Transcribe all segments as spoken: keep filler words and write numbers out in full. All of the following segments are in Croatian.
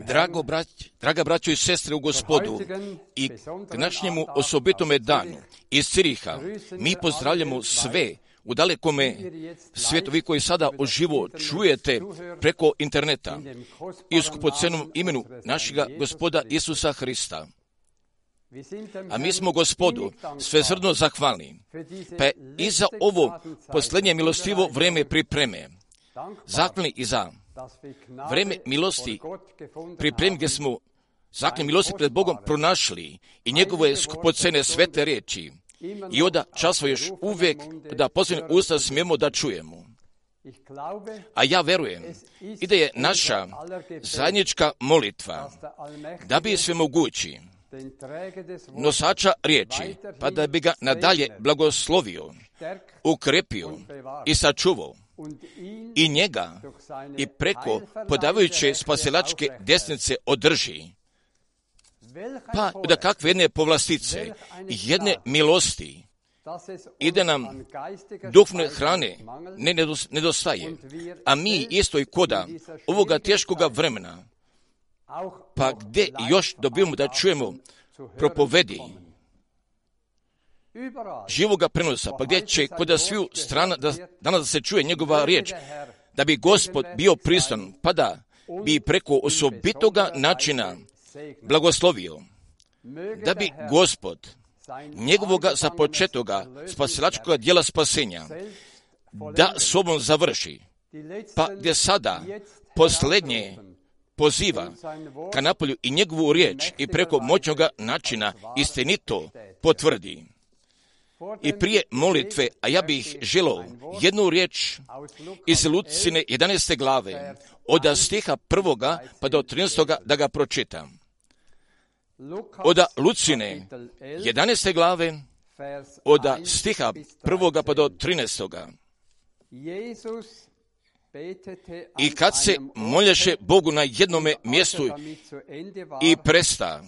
Drago brać, draga braćo i sestre u Gospodu, i k današnjemu osobitome danu iz Ciriha mi pozdravljamo sve u dalekome svijetu, vi koji sada uživo čujete preko interneta i u skupocenom imenu našega Gospoda Isusa Hrista. A mi smo Gospodu svesrdno zahvalni, pa i za ovo posljednje milostivo vreme pripreme. Zahvalni i za vreme milosti pripremi gdje smo zakon milosti pred Bogom pronašli i njegove skupocene svete riječi. I onda časvo još uvijek da posljednje usta smijemo da čujemo. A ja verujem i da je naša zajednička molitva da bi svemogući nosača riječi, pa da bi ga nadalje blagoslovio, ukrepio i sačuvao, i njega i preko podavajuće spasilačke desnice održi. Pa da kakve jedne povlastice, jedne milosti, ide nam duhovne hrane ne nedostaje, a mi isto i koda ovoga teškoga vremena, pa gdje još dobijemo da čujemo propovedi živoga prenosa, pa gdje će kod sviju strana da, danas da se čuje njegova riječ, da bi Gospod bio prisutan, pa da bi preko osobitoga načina blagoslovio, da bi Gospod njegovoga započetoga spasilačkoga djela spasenja da sobom završi, pa gdje sada posljednje poziva ka napolju i njegovu riječ i preko moćnoga načina istinito potvrdi. I prije molitve, a ja bih želio jednu riječ iz Lucine jedanaeste glave, od stiha prvoga pa do trinaestoga da ga pročitam. Od Lucine jedanaeste glave, od stiha prvoga pa do trinaestoga. I kad se molješe Bogu na jednome mjestu i presta,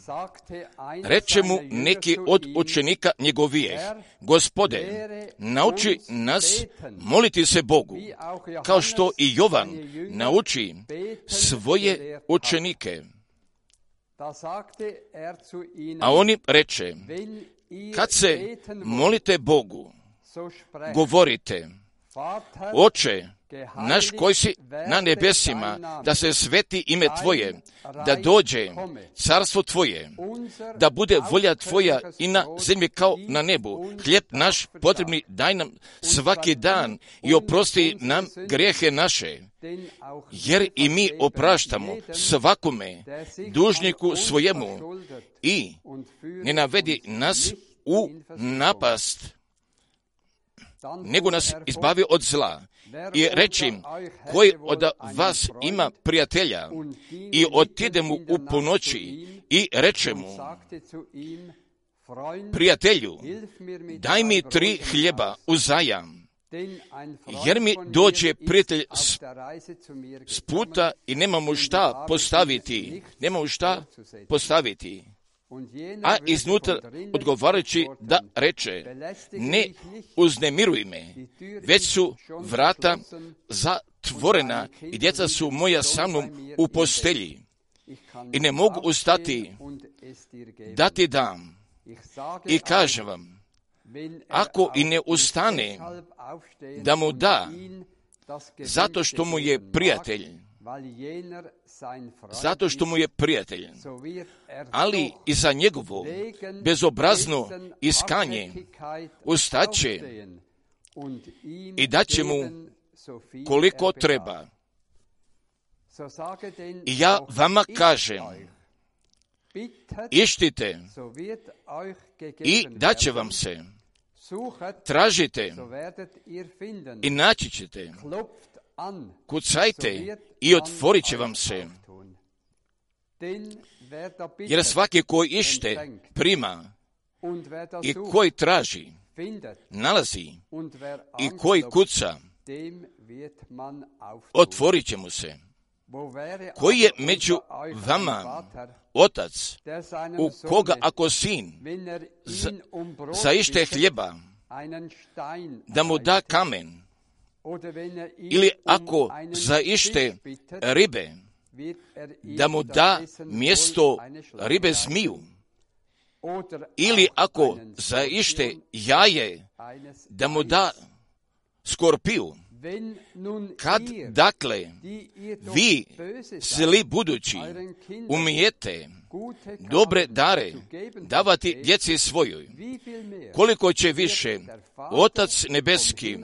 reče mu neki od učenika njegovijeh: Gospode, nauči nas moliti se Bogu, kao što i Jovan nauči svoje učenike. A oni reče: kad se molite Bogu, govorite: Oče naš koji si na nebesima, da se sveti ime Tvoje, da dođe carstvo Tvoje, da bude volja Tvoja i na zemlji kao na nebu. Hljeb naš potrebni daj nam svaki dan i oprosti nam grijehe naše, jer i mi opraštamo svakome dužniku svojemu, i ne navedi nas u napast, nego nas izbavi od zla. I reći: koji od vas ima prijatelja i otide mu u ponoći i reče mu: prijatelju, daj mi tri hljeba uzajam, jer mi dođe prijatelj s, s puta i nemamo šta postaviti, nemamo šta postaviti. A iznutra odgovarajući da reče: ne uznemiruj me, već su vrata zatvorena i djeca su moja sa mnom u postelji i ne mogu ustati da ti dam. I kažem vam, ako i ne ustane da mu da, zato što mu je prijatelj, zato što mu je prijatelj, ali i za njegovo bezobrazno iskanje ustaće i daće mu koliko treba. I ja vama kažem, ištite i daće vam se, tražite i naći ćete, kucajte i otvorit će vam se. Jer svaki koji ište prima, i koji traži nalazi, i koji kuca otvorit će mu se. Koji je među vama otac, u koga ako sin za, zaište hljeba, da mu da kamen, ili ako zaište ribe, da mu da mjesto ribe zmiju, ili ako zaište jaje, da mu da skorpiju. Kad, dakle, vi, zli budući, umijete dobre dare davati djeci svojoj, koliko će više Otac nebeski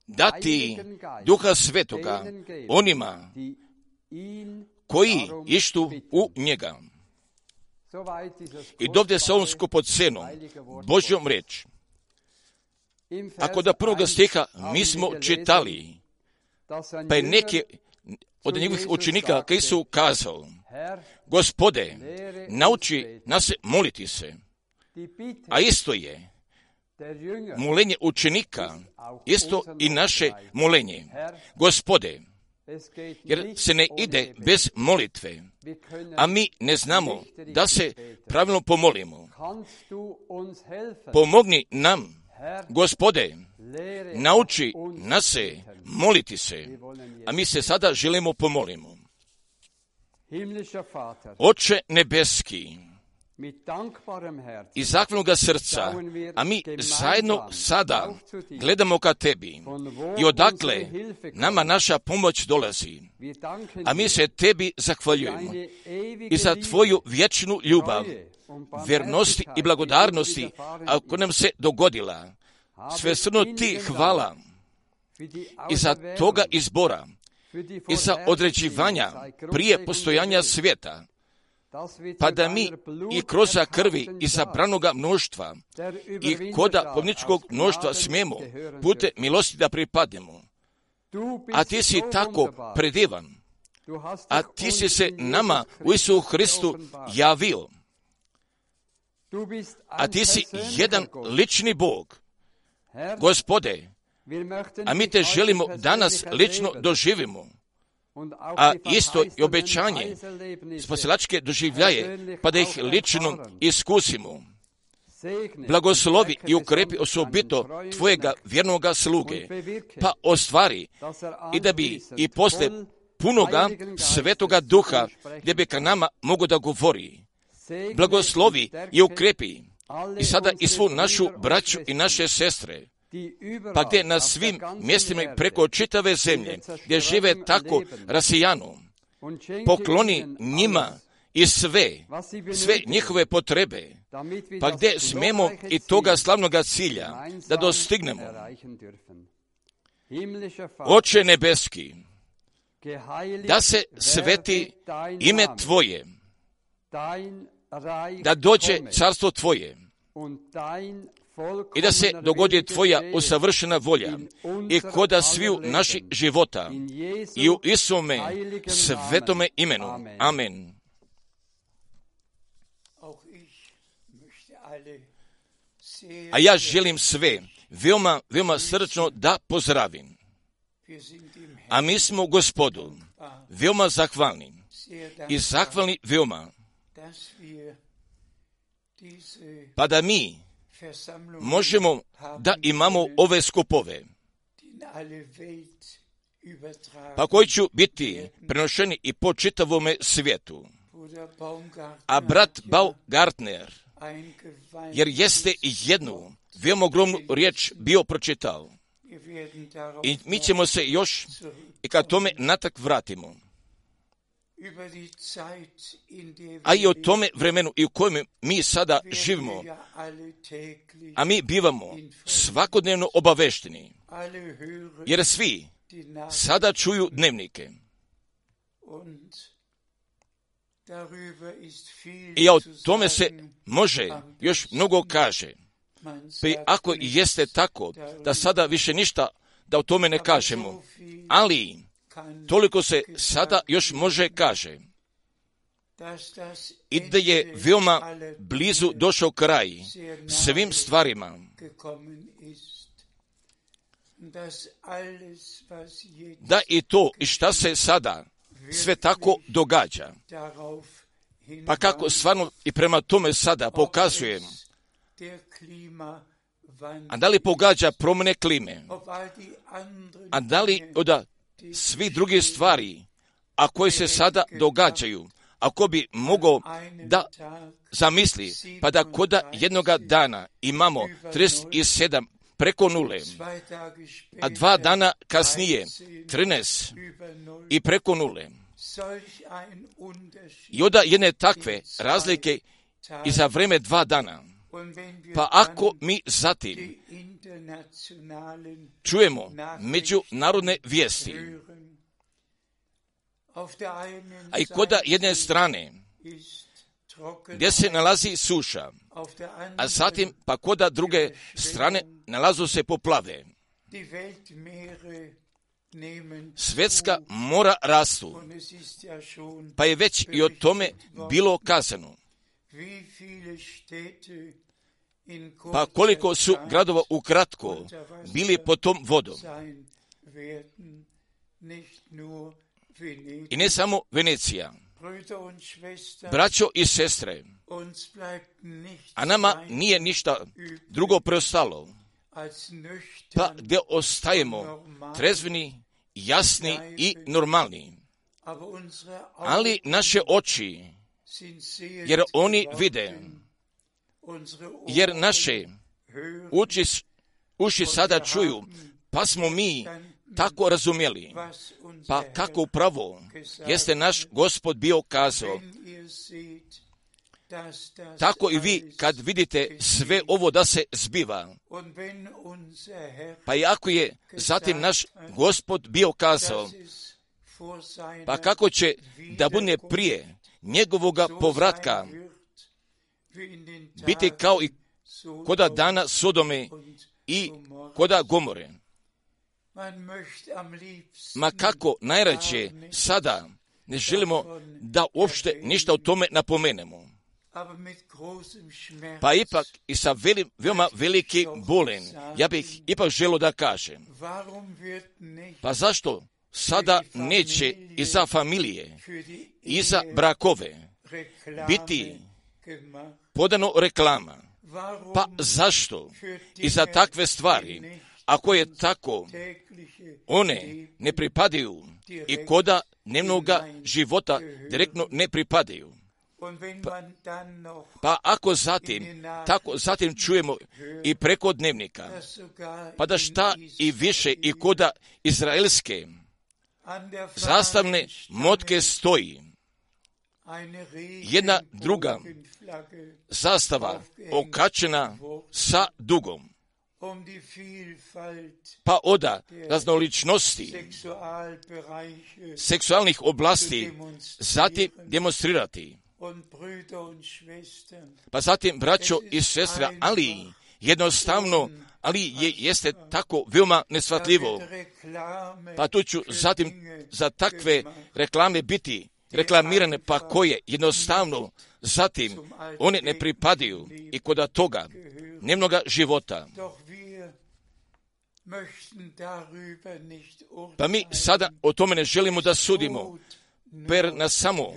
dati Duha Svetoga onima koji ištu u njega. I dovde sa ovom skupocenom Božjom riječ. Ako da prvoga stiha mi smo čitali, pa je neki od njegovih učenika koji su kazali: Gospode, nauči nas moliti se. A isto je molenje učenika, isto i naše molenje. Gospode, jer se ne ide bez molitve, a mi ne znamo da se pravilno pomolimo. Pomogni nam, Gospode, nauči nas se moliti se, a mi se sada želimo pomolimo. Oče nebeski, iz zahvalnoga srca, a mi zajedno sada gledamo ka Tebi i odakle nama naša pomoć dolazi, a mi se Tebi zahvaljujemo i za Tvoju vječnu ljubav, vjernosti i blagodarnosti, ako nam se dogodila. Svesrdno Ti hvala i za toga izbora i za određivanja prije postojanja svijeta, pa da mi i kroz krvi i zabranoga mnoštva i koda povničkog mnoštva smijemo pute milosti da pripadnemo. A Ti si tako predivan, a Ti si se nama u Isusu Hristu javio. a ti si jedan lični Bog. Gospode, a mi te želimo danas lično doživimo, a isto i obećanje spasilačke doživljaje, pa da ih lično iskusimo. Blagoslovi i ukrepi osobito tvojega vjernoga sluge, pa ostvari i da bi i posle punoga Svetoga Duha, gdje bi ka nama mogo da govori. Blagoslovi i ukrepi i sada i svu našu braću i naše sestre, pa gdje na svim mjestima preko čitave zemlje, gdje žive tako rasijano, pokloni njima i sve, sve njihove potrebe, pa gdje smemo i toga slavnoga cilja da dostignemo. Oče nebeski, da se sveti ime Tvoje, da dođe carstvo Tvoje i da se dogodi Tvoja usavršena volja i koda sviju naših života i u Isume svetome imenu. Amen. A ja želim sve veoma, veoma srčno da pozdravim. A mi smo Gospodu veoma zahvalni i zahvalni veoma, pa da mi možemo da imamo ove skupove, pa koji će biti prenošeni i po čitavome svijetu. A brat Baumgartner, jer jeste jednu veoma ogromnu riječ bio pročitao, i mi ćemo se još i kad tome natak vratimo. A i o tome vremenu i u kojem mi sada živimo, a mi bivamo svakodnevno obavešteni, jer svi sada čuju dnevnike. I o tome se može još mnogo kaže. Pa i ako jeste tako, da sada više ništa da o tome ne kažemo, ali toliko se sada još može kaže. I da je veoma blizu došao kraj svim stvarima. Da i to i šta se sada sve tako događa. Pa kako stvarno i prema tome sada pokazujem, a da li pogađa promjene klime, a da li od svi drugi stvari, a koji se sada događaju, ako bi mogao da zamisli, pa da koda jednoga dana imamo trideset sedam preko nule, a dva dana kasnije trinaest i preko nule. I onda jedne takve razlike i za vreme dva dana. Pa ako mi zatim čujemo međunarodne vijesti, a i koda jedne strane gdje se nalazi suša, a zatim pa koda druge strane nalazu se poplave, svjetska mora rastu, pa je već i o tome bilo kazano. Pa koliko su gradova ukratko bili pod tom vodom. I ne samo Venecija. Braćo i sestre, a nama nije ništa drugo preostalo, pa gdje ostajemo trezveni, jasni i normalni. Ali naše oči, jer oni vide, jer naše uši, uši sada čuju, pa smo mi tako razumjeli, pa kako upravo jeste naš Gospod bio kazao. Tako i vi kad vidite sve ovo da se zbiva, pa i ako je zatim naš Gospod bio kazao, pa kako će da bude prije njegovoga povratka biti kao i koda dana Sodome i koda Gomore. Ma kako najrađe sada ne želimo da uopšte ništa o tome napomenemo. pa ipak i sa velim, veoma veliki bolen, ja bih ipak želio da kažem, pa zašto sada neće i za familije, i za brakove biti podano reklama? Pa zašto i za takve stvari, ako je tako, one ne pripadaju i koda dnevnoga života direktno ne pripadaju? Pa, pa ako zatim, tako zatim čujemo i preko dnevnika, pa da šta i više i koda izraelske zastavne motke stoji jedna druga zastava okačena sa dugom, pa oda raznoličnosti seksualnih oblasti zatim demonstrirati. Pa zatim, braćo i sestra, ali jednostavno, ali je, jeste tako veoma nesvatljivo. Pa tu ću zatim za takve reklame biti reklamirane, pa koje jednostavno zatim one ne pripadaju i koda toga dnevnoga života. Pa mi sada o tome ne želimo da sudimo, per nas samo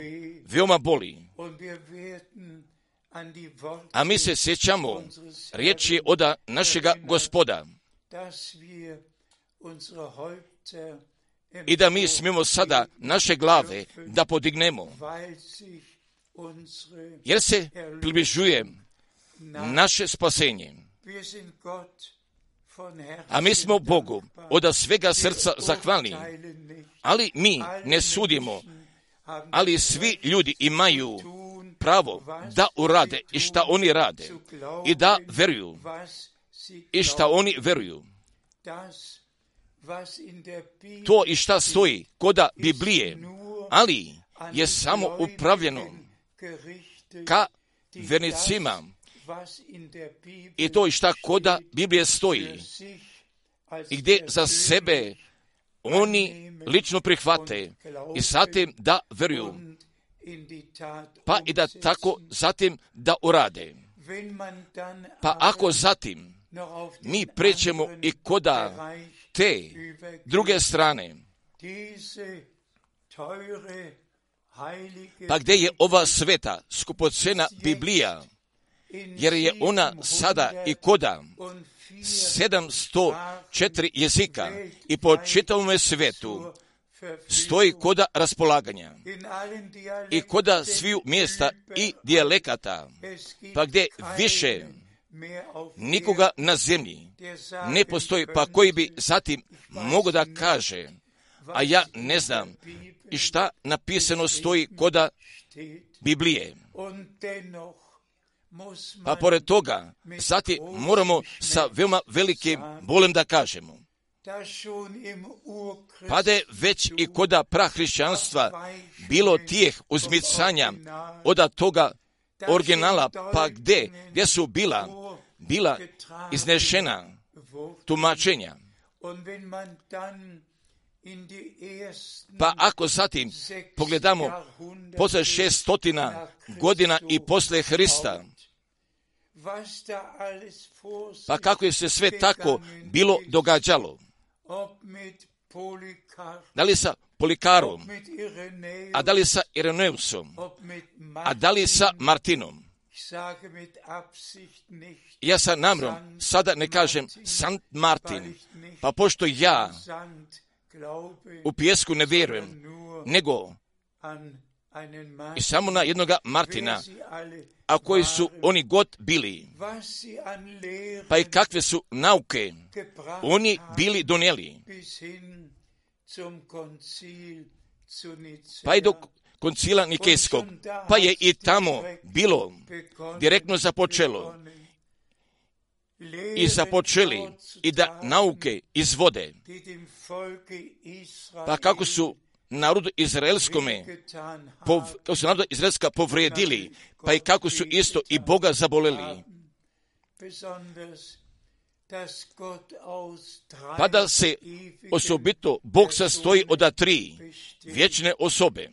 veoma boli. A mi se sjećamo riječi oda našega Gospoda i da mi smijemo sada naše glave da podignemo, jer se približuje naše spasenje. A mi smo Bogu od svega srca zahvalni, ali mi ne sudimo, ali svi ljudi imaju pravo da urade i šta oni rade i da veruju i šta oni veruju. To i šta stoji koda Biblije, ali je samo upravljeno ka vernicima i to i šta koda Biblije stoji i gdje za sebe oni lično prihvate i zatim da veruju, pa i da tako zatim da urade. Pa ako zatim mi prećemo i koda te druge strane, pa gdje je ova sveta skupocena Biblija, jer je ona sada i koda sedamsto četiri jezika i po čitavom svetu stoji koda raspolaganja i koda sviju mjesta i dijalekata, pa gdje više nikoga na zemlji ne postoji, pa koji bi zatim mogo da kaže, a ja ne znam i šta napisano stoji koda Biblije. Pa pored toga, zatim moramo sa veoma velikim bolem da kažemo, pa da je već i koda prahrišćanstva bilo tijeh uzmicanja od toga originala, pa gdje, gdje su bila, bila iznešena tumačenja. Pa ako zatim pogledamo posle šestotina godina i posle Hrista, pa kako je se sve tako bilo događalo, da li sa Polikarom, a da li sa Ireneusom, a da li sa Martinom. Ja sa namjerom sada ne kažem Sant Martin, pa pošto ja u pijesku ne vjerujem, nego i samo na jednoga Martina, a koji su oni god bili, pa i kakve su nauke oni bili donijeli, pa i do koncila Nikejskog, pa je i tamo bilo direktno započelo i započeli i da nauke izvode, pa kako su narodu izraelskome, pov, kako su narodu izraelska povrijedili, pa i kako su isto i Boga zaboleli. Pa da se osobito Bog sastoji od tri vječne osobe,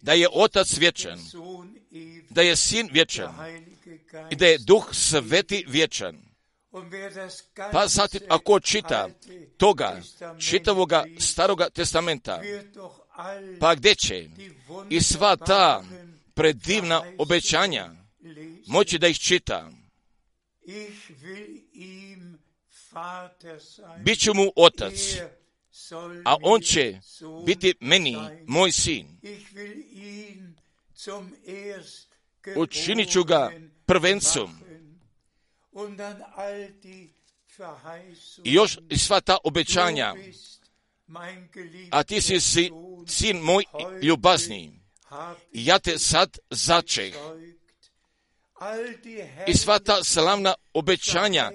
da je Otac vječan, da je Sin vječan i da je Duh Sveti vječan. Pa zatim, ako čita toga čitavoga Staroga testamenta, pa gdje će i sva ta predivna obećanja moći da ih čita? Biću mu otac, a on će biti meni moj sin. Učinit ću ga prvencom. I još i sva ta obećanja, a ti si, si sin moj ljubazni, i ja te sad začeh. I sva ta slavna obećanja,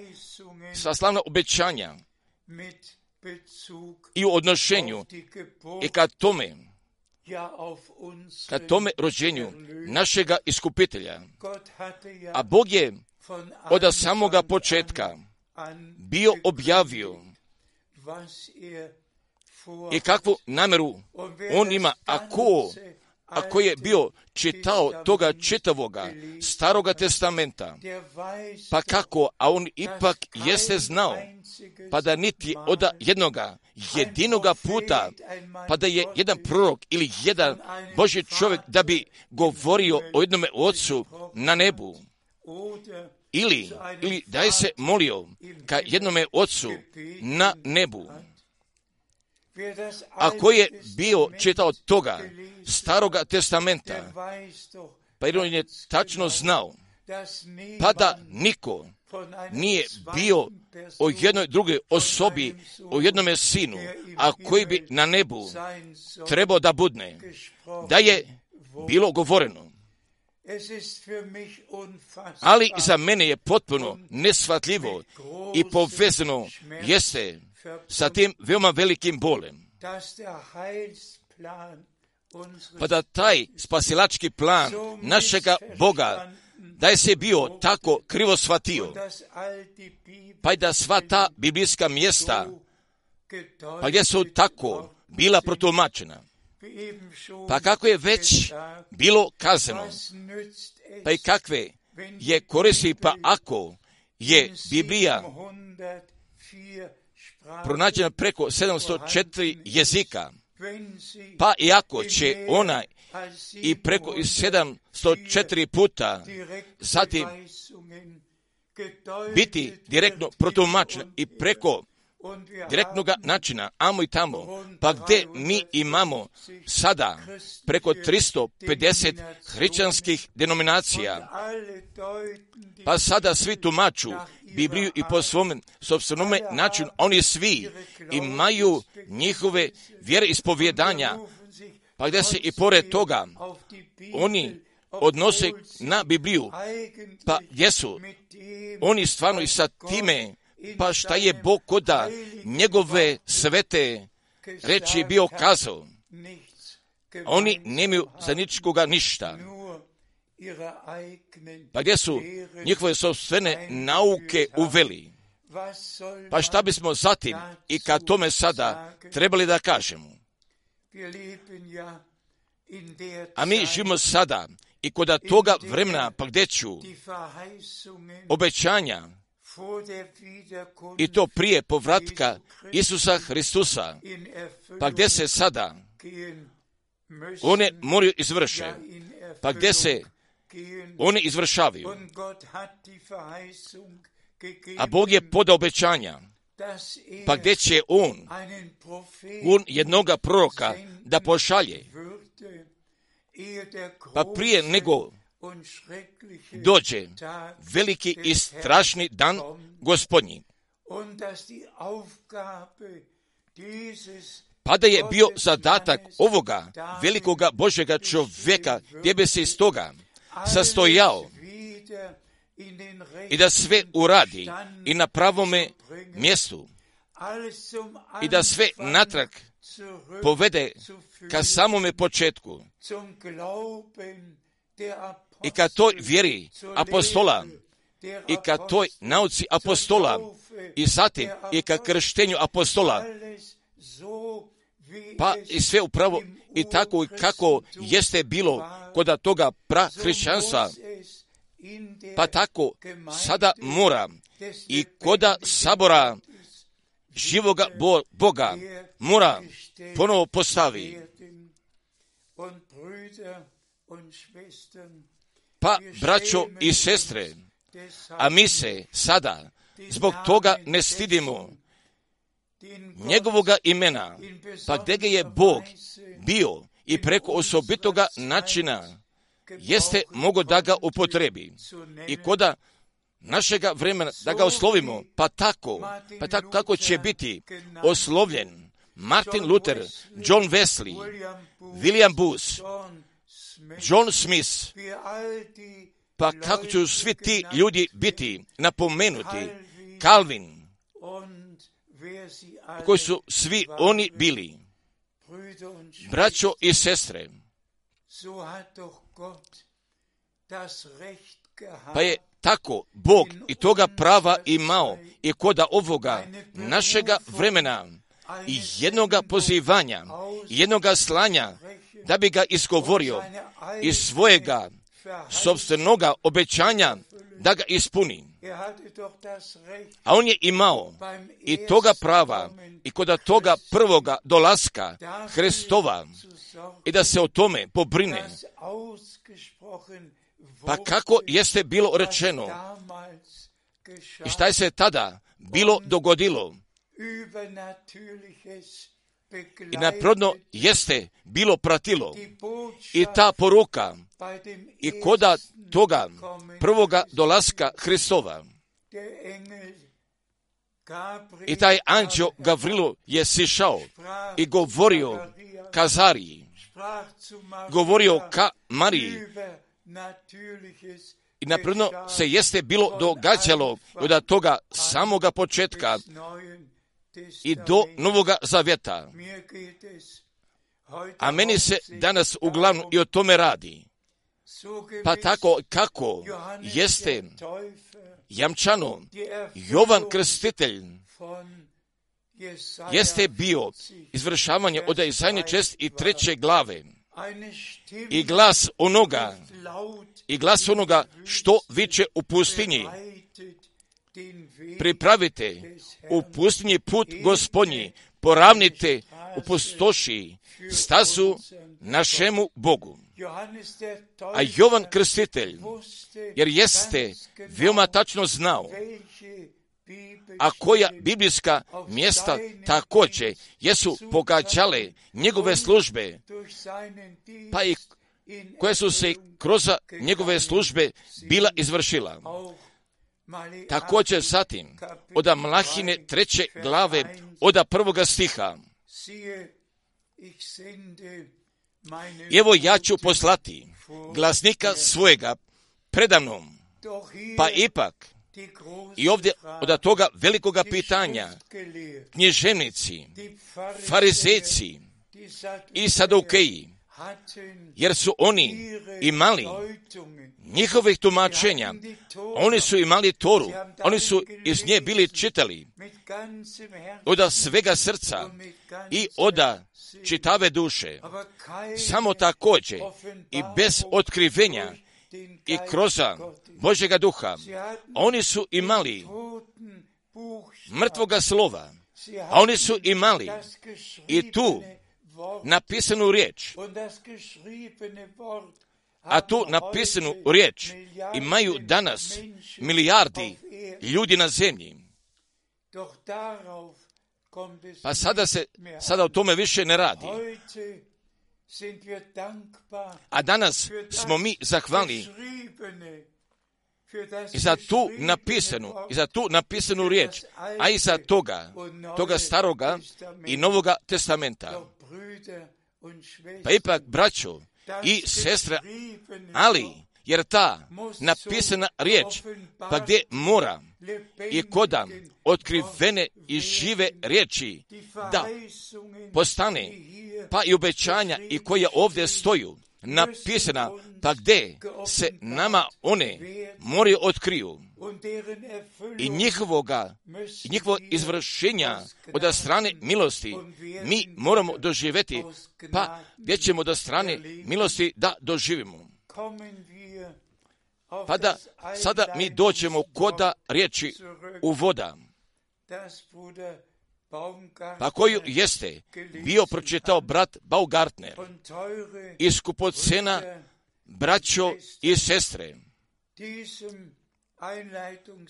sva slavna obećanja i u odnošenju i kad tome, kad tome rođenju našega iskupitelja. A Bog je od samoga početka bio objavio i kakvu namjeru on ima, ako, ako je bio čitao toga čitavoga Staroga testamenta, pa kako, a on ipak jeste znao, pa da niti od jednoga jedinoga puta, pa da je jedan prorok ili jedan Božji čovjek da bi govorio o jednome Ocu na nebu, ili, ili da je se molio ka jednome Ocu na nebu. Ako je bio čitao toga Staroga testamenta, pa jer on je tačno znao, pa da niko nije bio o jednoj drugoj osobi, o jednome sinu, a koji bi na nebu trebao da budne, da je bilo govoreno. Ali za mene je potpuno neshvatljivo i povezano jeste sa tim veoma velikim bolem. Pa da taj spasilački plan našega Boga, da je se bio tako krivo shvatio, pa i da sva ta biblijska mjesta, pa gdje su tako bila protumačena, pa kako je već bilo kazano, pa i kakve je koristi, pa ako je Biblija pronađena preko sedamsto četiri jezika, pa i ako će ona i preko sedamsto četiri puta zatim biti direktno protumačena i preko direktnog načina, amo i tamo, pa gdje mi imamo sada preko tristo pedeset hrišćanskih denominacija, pa sada svi tumaču Bibliju i po svom sopstvenome načinu, oni svi imaju njihove vjere ispovjedanja, pa gdje se i pored toga oni odnose na Bibliju, pa gdje su oni stvarno i sa time, pa šta je Bog koda njegove svete reči bio kazao. Oni nemaju za ničkoga ništa. Pa gdje su njihove sopstvene nauke uveli? Pa šta bismo zatim i kad tome sada trebali da kažemo? A mi živimo sada i kod toga vremena, pa gdje ću obećanja i to prije povratka Isusa Hristusa, pa gdje se sada one moraju izvrše, pa gdje se one izvršavaju. A Bog je podao obećanja, pa gdje će On, on jednoga proroka da pošalje, pa prije nego dođe veliki i strašni dan Gospodnji. Pa da je bio zadatak ovoga velikoga Božjega čovjeka, gdje bi se iz toga sastojao i da sve uradi i na pravome mjestu i da sve natrag povede ka samome početku i ka toj vjeri apostola i ka toj nauci apostola i zatim i ka krštenju apostola, pa i sve upravo i tako kako jeste bilo kod toga prahrišćanstva, pa tako sada mora i koda sabora živoga Boga mora ponovo postavi. Pa, braćo i sestre, a mi se sada zbog toga ne stidimo njegovoga imena, pa gdje ga je Bog bio i preko osobitoga načina jeste mogo da ga upotrebi i koda našega vremena da ga oslovimo, pa tako, pa tako kako će biti oslovljen Martin Luther, John Wesley, William Booth, John Smith, pa kako će svi ti ljudi biti napomenuti, Calvin, koji su svi oni bili. Braćo i sestre, pa je tako Bog i toga prava imao i koda ovoga našega vremena i jednoga pozivanja, jednoga slanja, da bi ga izgovorio iz svojega sopstvenoga obećanja da ga ispuni. A on je imao i toga prava i kod toga prvoga dolaska Hristova i da se o tome pobrine. Pa kako jeste bilo rečeno i šta je se tada bilo dogodilo i naprodno jeste bilo pratilo i ta poruka i koda toga prvoga dolaska Hristova. I taj anđeo Gavrilo je sišao i govorio Kazariji, govorio ka Mariji. I napredno se jeste bilo događalo od toga samoga početka i do Novoga Zavjeta. A meni se danas uglavnom i o tome radi. Pa tako kako jeste jamčano Jovan Krstitelj jeste bio izvršavanje od Isajne čest i treće glave i glas onoga i glas onoga što viče u pustinji. Pripravite u pustinji put Gospodnji, poravnite u pustoši stazu našemu Bogu. A Jovan Krstitelj, jer jeste veoma tačno znao, a koja biblijska mjesta također jesu pogađale njegove službe, pa i koje su se kroz njegove službe bila izvršila. Također zatim, od Malahine treće glave, od prvoga stiha. Evo ja ću poslati glasnika svojega predamnom, pa ipak i ovdje od toga velikoga pitanja književnici, farizejci i sadukeji, jer su oni imali njihovih tumačenja, oni su imali Toru, oni su iz nje bili čitali od svega srca i od čitave duše, samo također i bez otkrivenja i kroz Božjega duha. Oni su imali mrtvoga slova, a oni su imali i tu napisanu riječ, a tu napisanu riječ imaju danas milijardi ljudi na zemlji. Pa sada se, sada o tome više ne radi. A danas smo mi zahvalni i za tu napisanu, i za tu napisanu riječ, a i za toga, toga staroga i novoga testamenta. Pa ipak, braćo i sestre, ali, jer ta napisana riječ, pa gdje mora i koda otkrivene i žive riječi da postane, pa i obećanja i koje ovdje stoju, napisana, pa gdje se nama one moraju otkriju i njihovoga, i njihovo izvršenja od strane milosti mi moramo doživjeti, pa gdje ćemo do strane milosti da doživimo. Pa da sada mi dođemo koda riječi uvoda, pa koju jeste bio pročitao brat Baumgartner iz skupocena braćo i sestre.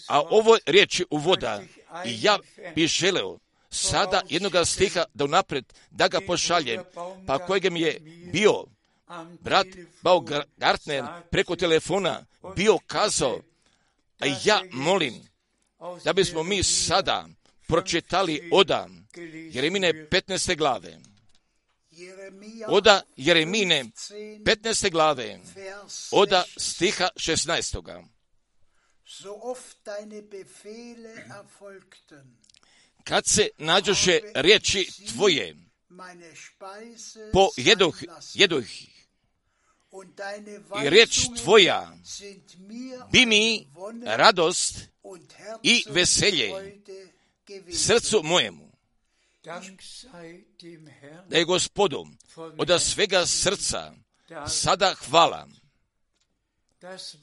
A ovo riječi uvoda i ja bih želeo sada jednoga stiha da unaprijed da ga pošaljem, pa kojeg mi je bio brat Baumgartner preko telefona bio kazao, a ja molim da bismo mi sada pročitali oda Jeremine petnaeste glave. Oda Jeremine petnaeste glave, oda stiha šesnaestoga. Kad se nađoše riječi tvoje, pojedoh, jedoh, i riječ tvoja bi mi radost i veselje srcu mojemu. Da je Gospodu od svega srca sada hvala.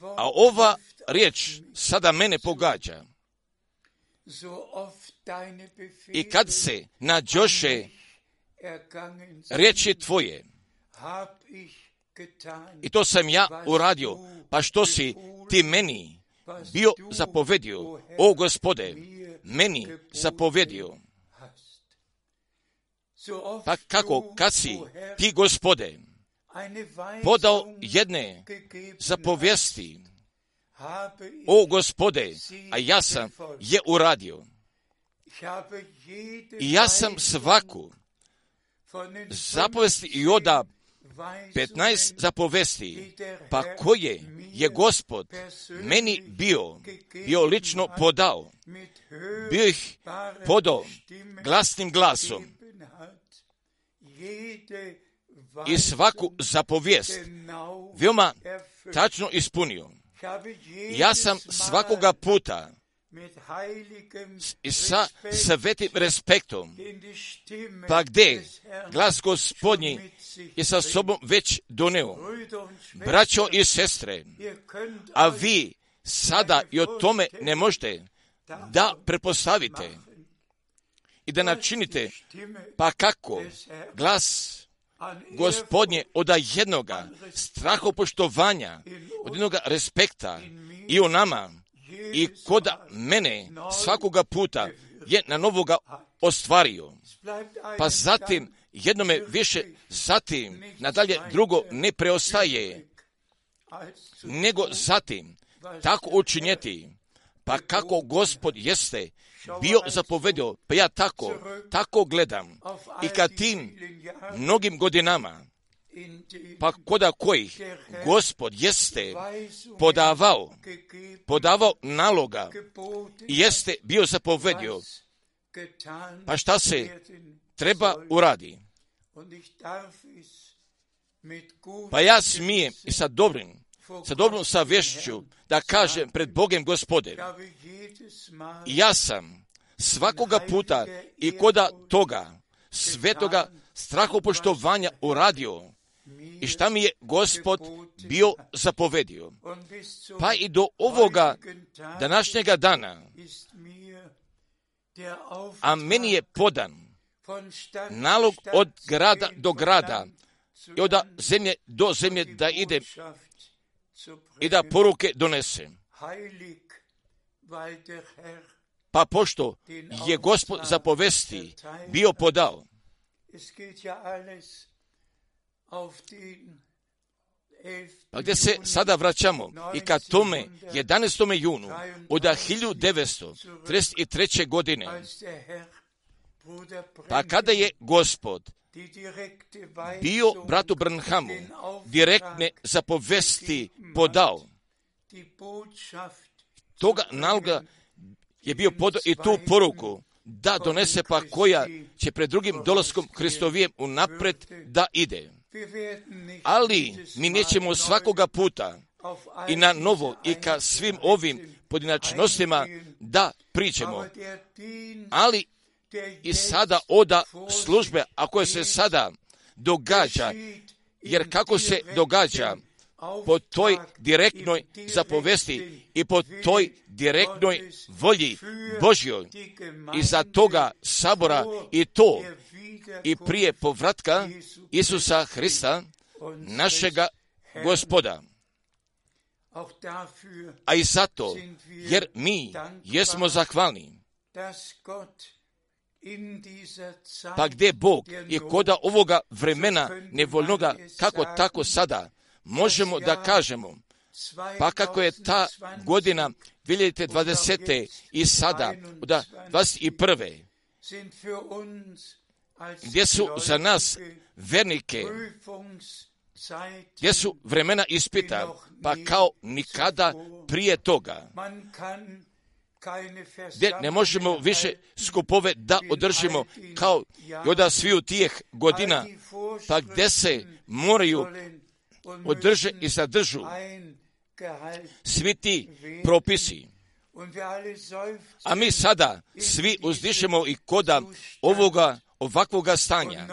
A ova riječ sada mene pogađa. I kad se nađoše riječi tvoje, i to sam ja uradio, pa što si ti meni bio zapovedio, o Gospode, meni zapovedio. Pa kako, kad si ti, Gospode, podao jedne zapovijesti, o Gospode, a ja sam je uradio. I ja sam svaku zapovesti i oda petnaest zapovesti, pa koje je Gospod meni bio, bio lično podao, bio ih podao glasnim glasom i svaku zapovijest veoma tačno ispunio. Ja sam svakoga puta i sa svetim respektom, pa gdje glas Gospodnji je sa sobom već doneo. Braćo i sestre, a vi sada i o tome ne možete da prepostavite i da načinite, pa kako glas Gospodnje od jednoga strahopoštovanja, od jednoga respekta i o nama i koda mene svakoga puta je na novoga ostvario. Pa zatim jednome više, zatim nadalje drugo ne preostaje, nego zatim tako učinjeti, pa kako Gospod jeste bio zapovedio, pa ja tako, tako gledam i kad tim mnogim godinama, pa koda kojih Gospod jeste podavao, podavao naloga i jeste bio zapovedio, pa šta se treba uradi. Pa ja smijem i sa dobrim, sa dobrom savješću da kažem pred Bogem Gospode, ja sam svakoga puta i koda toga svetoga strahopoštovanja uradio i šta mi je Gospod bio zapovedio. Pa i do ovoga današnjega dana, a meni je podan nalog od grada do grada i od zemlje do zemlje da idem i da poruke donesem. Pa pošto je Gospod zapovesti bio podao, pa gdje se sada vraćamo i ka tome jedanaestom junu od hiljadu devetsto trideset treće. godine, pa kada je Gospod bio bratu Branhamu direktne zapovesti podao, toga naloga je bio podao i tu poruku da donese, pa koja će pred drugim dolaskom Hristovijem unapred da ide. Ali mi nećemo svakoga puta i na novo i ka svim ovim pojedinačnostima da pričamo. Ali i sada oda službe, ako se sada događa, jer kako se događa po toj direktnoj zapovesti i po toj direktnoj volji Božjoj i za toga sabora i to i prije povratka Isusa Hrista, našega Gospoda. A i zato, jer mi jesmo zahvalni, pa gdje Bog je koda ovoga vremena nevoljnoga, kako tako sada, možemo da kažemo, pa kako je ta godina dvije hiljade dvadesete i sada, od dvadeset prve gdje su za nas vernike, gdje su vremena ispita, pa kao nikada prije toga, gdje ne možemo više skupove da održimo kao i od sviju tih godina, pa gdje se moraju održe i zadržu svi ti propisi. A mi sada svi uzdišemo i koda ovoga ovakvoga stanja.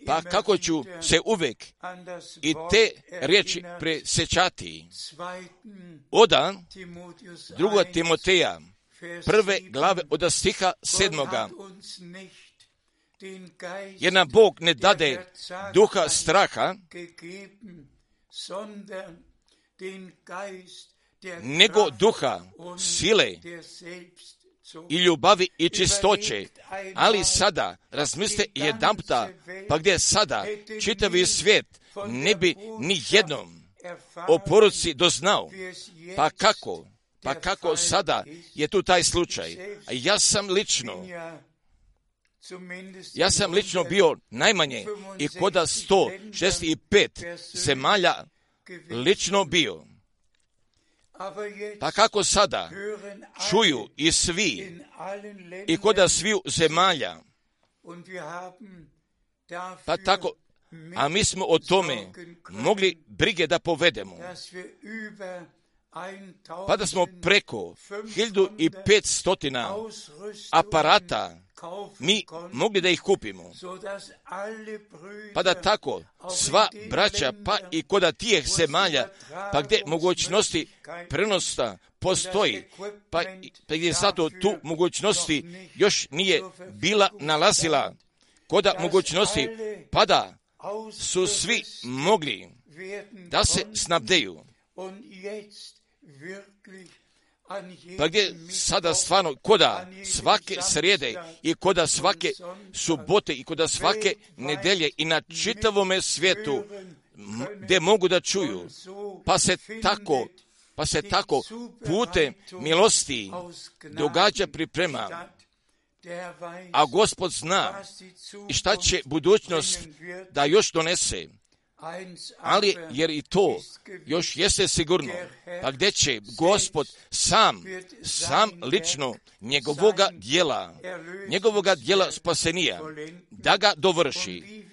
Pa kako ću se uvijek i te riječi presjećati. Oda druga Timoteja, prve glave od stiha sedmoga. Jer nam Bog ne dade duha straha, nego duha sile i ljubavi i čistoće. Ali sada, razmislite jedanputa, pa gdje sada čitavi svijet ne bi ni jednom o poruci doznao. Pa kako? Pa kako sada je tu taj slučaj? A ja sam lično, ja sam lično bio najmanje i koda sto šezdeset pet zemalja lično bio. Pa kako sada čuju i svi i koda sviju zemalja, pa tako, a mi smo o tome mogli brige da povedemo, pa da smo preko hiljadu petsto aparata mi mogli da ih kupimo, pa da tako sva braća, pa i koda tijeh zemalja, pa gdje mogućnosti prenosta postoji, pa, pa gdje zato tu mogućnosti još nije bila nalazila, koda mogućnosti, pa da su svi mogli da se snabdeju. Pa gdje sada stvarno koda svake srijede i koda svake subote i koda svake nedelje i na čitavome svijetu gdje mogu da čuju, pa se tako, pa se tako putem milosti događa priprema. A Gospod zna i šta će budućnost da još donese. Ali jer i to još jeste sigurno, pa gdje će Gospod sam, sam lično njegovoga djela, njegovoga djela spasenija, da ga dovrši.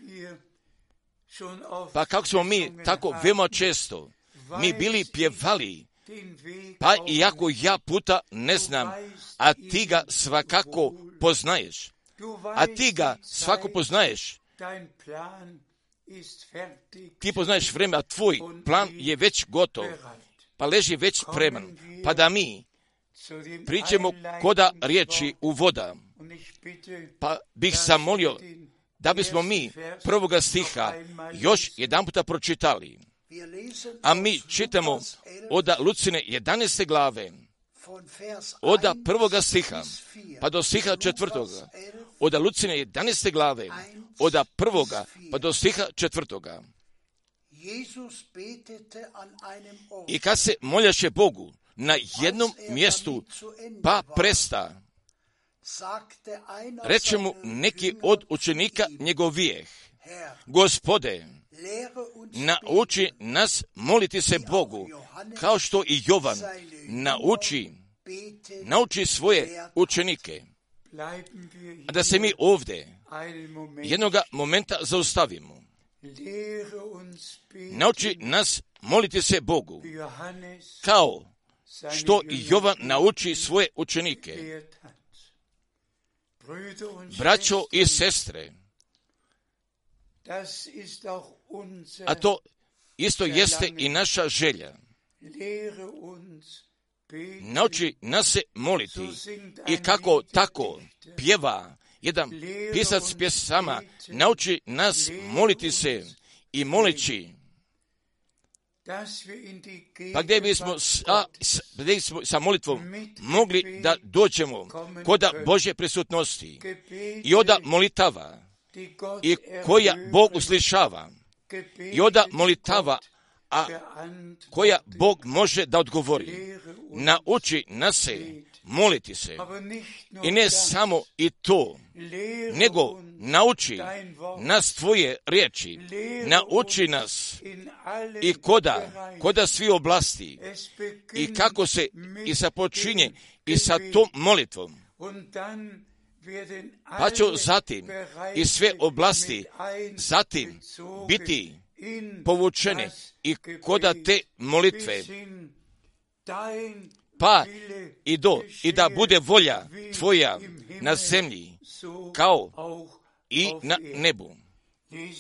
Pa kako smo mi tako veoma često, mi bili pjevali, pa iako ja puta ne znam, a ti ga svakako poznaješ, a ti ga svako poznaješ, ti poznaješ vreme, a tvoj plan je već gotov, pa leži već spreman, pa da mi pričamo koda riječi u voda, pa bih zamolio da bismo mi prvoga stiha još jedan puta pročitali, a mi čitamo od Lucine jedanaeste glave, od prvoga stiha pa do stiha četvrtoga, od Lucine jedanaeste glave, od prvoga pa do stiha četvrtoga. I kad se moljaše Bogu na jednom mjestu, pa presta, reče mu neki od učenika njegovijeh, Gospode, nauči nas moliti se Bogu, kao što i Jovan nauči, nauči svoje učenike. A da se mi ovdje jednoga momenta zaustavimo. Nauči nas moliti se Bogu, kao što i Jovan nauči svoje učenike. Braćo i sestre, a to isto jeste i naša želja. Nauči nas se moliti i kako tako pjeva jedan pisac pjesama, nauči nas moliti se i moleći, pa gdje bismo sa, gdje bismo sa molitvom mogli da dođemo kod Božje prisutnosti i oda molitava i koja Bog uslišava i oda molitava, a koja Bog može da odgovori. Nauči nas se moliti se. I ne samo i to, nego nauči nas tvoje riječi. Nauči nas i koda, koda svi oblasti i kako se i započinje i sa tom molitvom. Pa će zatim i sve oblasti zatim biti povučene i koda te molitve, pa i do, i da bude volja tvoja na zemlji, kao i na nebu.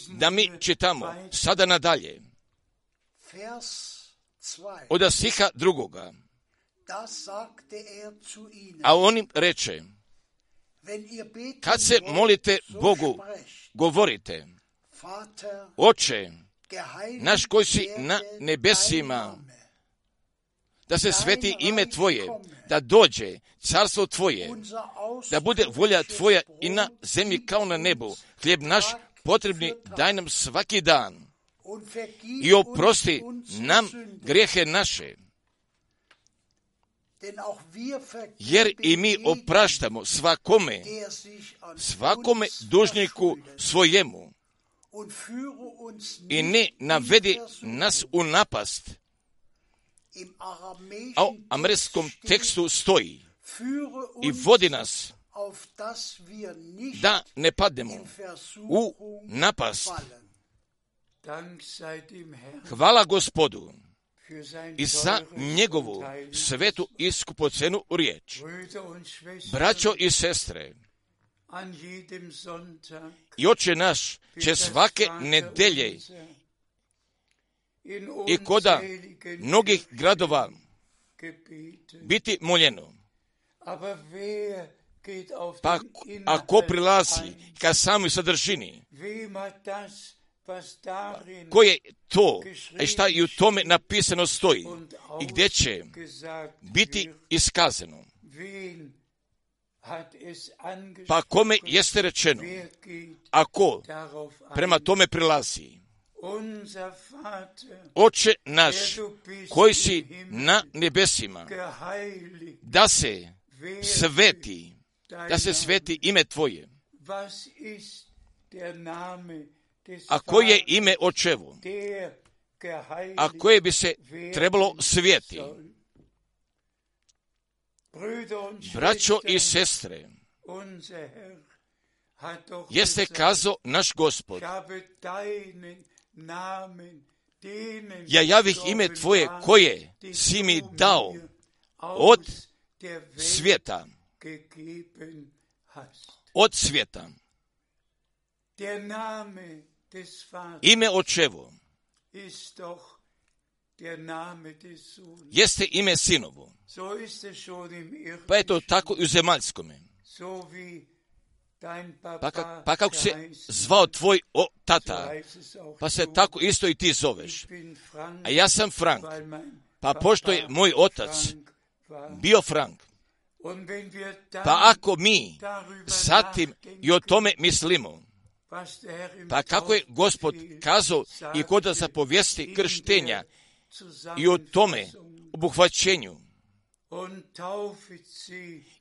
Da mi čitamo sada nadalje, od stiha drugoga, a on im reče, kad se molite Bogu, govorite, Oče, naš koji si na nebesima, da se sveti ime Tvoje, da dođe carstvo Tvoje, da bude volja Tvoja i na zemlji kao na nebu. Hlijeb naš potrebni daj nam svaki dan i oprosti nam grijehe naše, jer i mi opraštamo svakome, svakome dužniku svojemu, i ne navedi nas u napast. A u američkom tekstu stoji i vodi nas da ne padnemo u napast. Hvala Gospodu i za njegovu svetu i skupocenu riječ. Braćo i sestre, i Oče naš će svake nedelje i koda mnogih gradova biti moljeno. Pa ako prilazi ka samoj sadržini, koje to, a šta i u tome napisano stoji i gdje će biti iskazano. Pa kome jeste rečeno, ako prema tome prilazi, Oče naš koji si na nebesima, da se sveti, da se sveti ime Tvoje. A koje je ime Očevo? A koje bi se trebalo svijeti? Braćo i sestre, jeste kazao naš Gospod, ja javih ime Tvoje koje si mi dao od svijeta, od svijeta. Ime Očevo jeste ime Sinovo. Pa je to tako i u zemaljskome. Pa, kak, pa kako se zvao tvoj o, tata, pa se tako isto i ti zoveš. A ja sam Frank, pa pošto je moj otac bio Frank, pa ako mi zatim i o tome mislimo, pa kako je Gospod kazao i kod zapovijesti krštenja i o tome obuhvaćenju,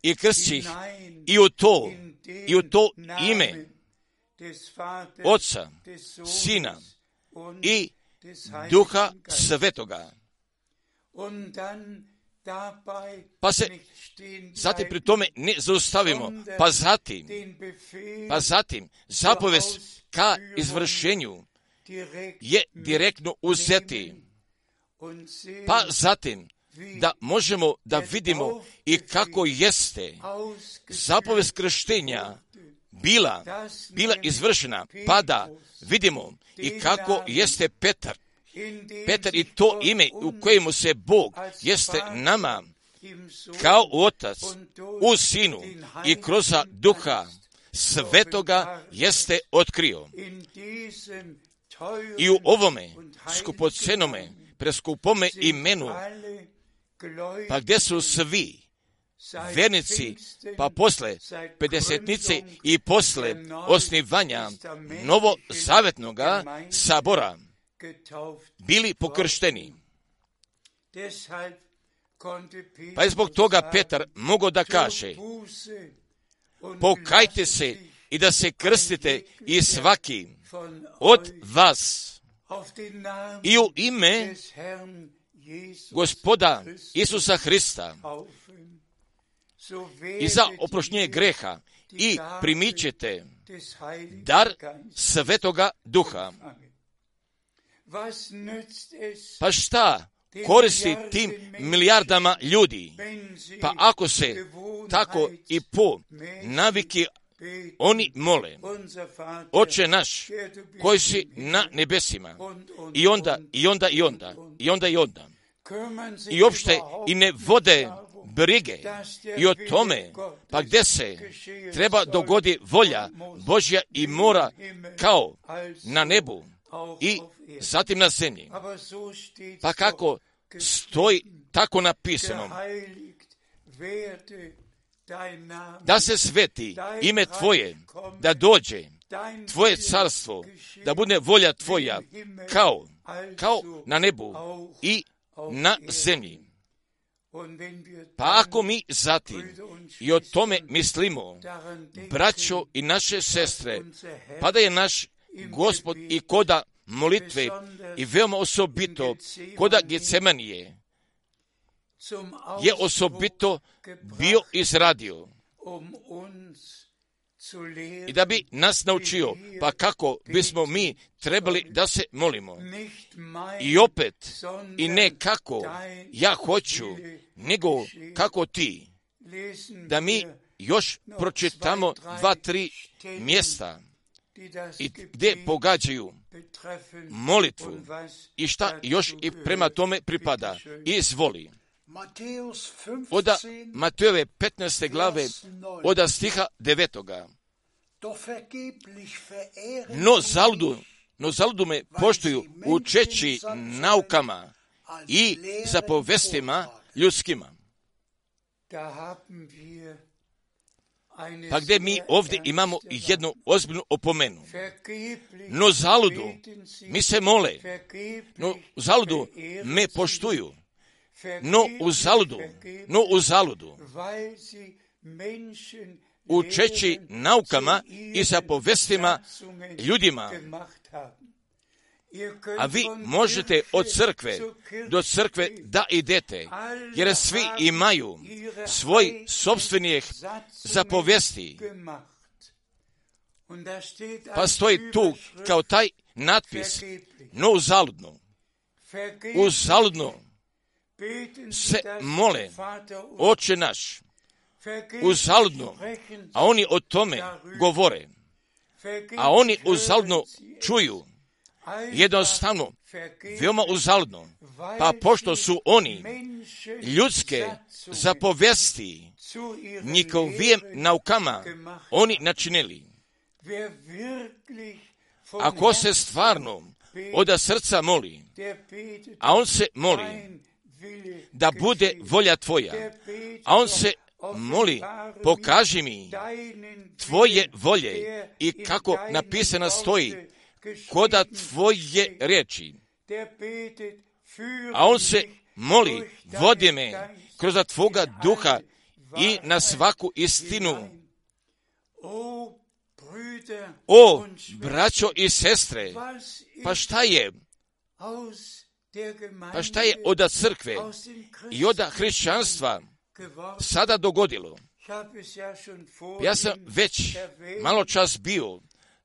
i krsti ih i u to, i u to ime Oca, Sina i Duha Svetoga. pa se zatim pri tome ne zaustavimo, pa zatim, pa zatim zapovest ka izvršenju je direktno uzeti, pa zatim da možemo da vidimo i kako jeste zapovest krštenja bila, bila izvršena, pa da vidimo i kako jeste Petar, Petar i to ime u kojemu se Bog jeste nama kao Otac u Sinu i kroz Duha Svetoga jeste otkrio. I u ovome skupocenome, preskupome imenu, pa gdje su svi vernici, pa posle pedesetnice i posle osnivanja novozavetnoga sabora bili pokršteni. Pa je zbog toga Petar mogao da kaže: pokajte se i da se krstite i svaki od vas i u ime Gospoda Isusa Hrista i za oproštenje greha i primit ćete dar Svetoga Duha. Pa šta koristi tim milijardama ljudi? Pa ako se tako i po naviki oni mole: Oče naš koji si na nebesima, i onda, i onda, i onda, i onda, i onda, i uopšte i ne vode brige i o tome, pa gdje se treba dogodi volja Božja i mora kao na nebu i zatim na zemlji. Pa kako stoji tako napisano: da se sveti ime Tvoje, da dođe Tvoje carstvo, da bude volja Tvoja kao, kao na nebu i na zemlji. Pa ako mi zatim i o tome mislimo, braćo i naše sestre, pa da je naš Gospod i koda molitve i veoma osobito koda Getsemanije je osobito bio izradio i da bi nas naučio, pa kako bismo mi trebali da se molimo. I opet, i ne kako ja hoću, nego kako ti. Da mi još pročitamo dva, tri mjesta i gdje pogađaju molitvu i šta još i prema tome pripada. Izvoli. Od Matejove petnaeste glave, od stiha devetoga. No zaludu, no zaludu me poštuju učeći naukama i zapovestima ljudskima. Pa gdje mi ovdje imamo jednu ozbiljnu opomenu. No zaludu mi se mole, no zaludu me poštuju, no u zaludu, no u zaludu, učeći naukama i zapovestima ljudima. A vi možete od crkve do crkve da idete, jer svi imaju svoj sopstvenih zapovesti. Pa stoji tu kao taj natpis: no uzaludno, uzaludno se mole Oče naš, uzaludno, a oni o tome govore, a oni uzaludno čuju, jednostavno, veoma uzaludno, pa pošto su oni ljudske zapovesti njihovim naukama oni načinili. Ako se stvarno od srca moli, a on se moli da bude volja Tvoja, a on se moli: pokaži mi Tvoje volje, i kako napisano stoji koda Tvoje riječi, a on se moli: vodi me kroz Tvoga duha i na svaku istinu. O, braćo i sestre, pa šta je Pa šta je od crkve i od hrišćanstva sada dogodilo? Ja sam već malo čas bio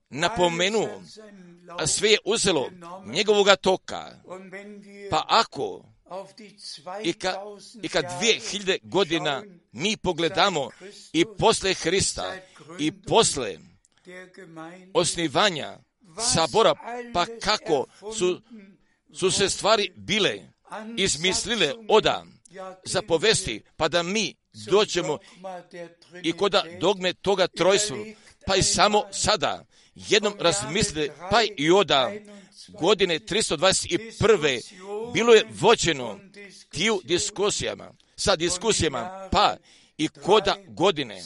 napomenuo, a sve je uzelo njegovoga toka. Pa ako i kad i kad dvije hiljade godina mi pogledamo i posle Hrista i posle osnivanja sabora, pa kako su, su se stvari bile izmislile oda za povesti, pa da mi dođemo i koda dogme toga trojstva, pa i samo sada jednom razmislite, pa i oda godine tristo dvadeset prve bilo je vođeno tiju diskusijama, sa diskusijama, pa i koda godine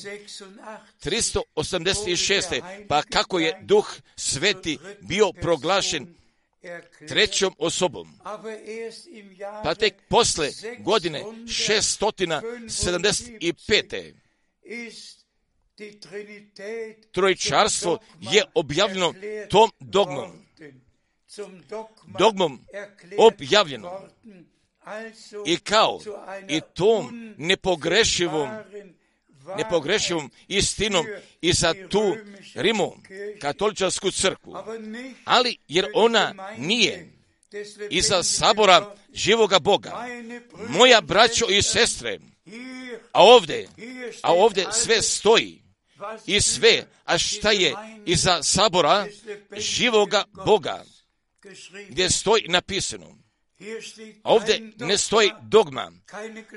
tristo osamdeset šeste pa kako je Duh Sveti bio proglašen trećom osobom. Pa tek posle godine šesto sedamdeset pete trojčarstvo je objavljeno tom dogmom. Dogmom objavljeno. I kao i tom nepogrešivom, nepogrešivom istinom i za tu Rimu katoličarsku crkvu. Ali jer ona nije iza sabora živoga Boga. Moja braćo i sestre, a ovdje, a ovdje sve stoji i sve, a šta je iza sabora živoga Boga, gdje stoji napisano. A ovdje ne stoji dogma,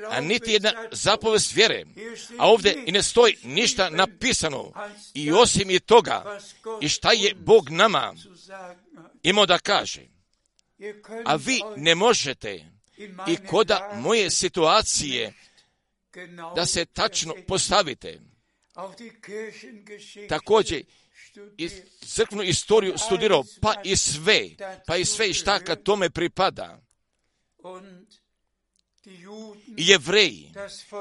a niti jedna zapovest vjere, a ovdje i ne stoji ništa napisano i osim i toga i šta je Bog nama imao da kaže. A vi ne možete i koda moje situacije da se tačno postavite. Također i crkvenu istoriju studirao, pa i sve, pa i sve šta kad tome pripada. I Jevreji,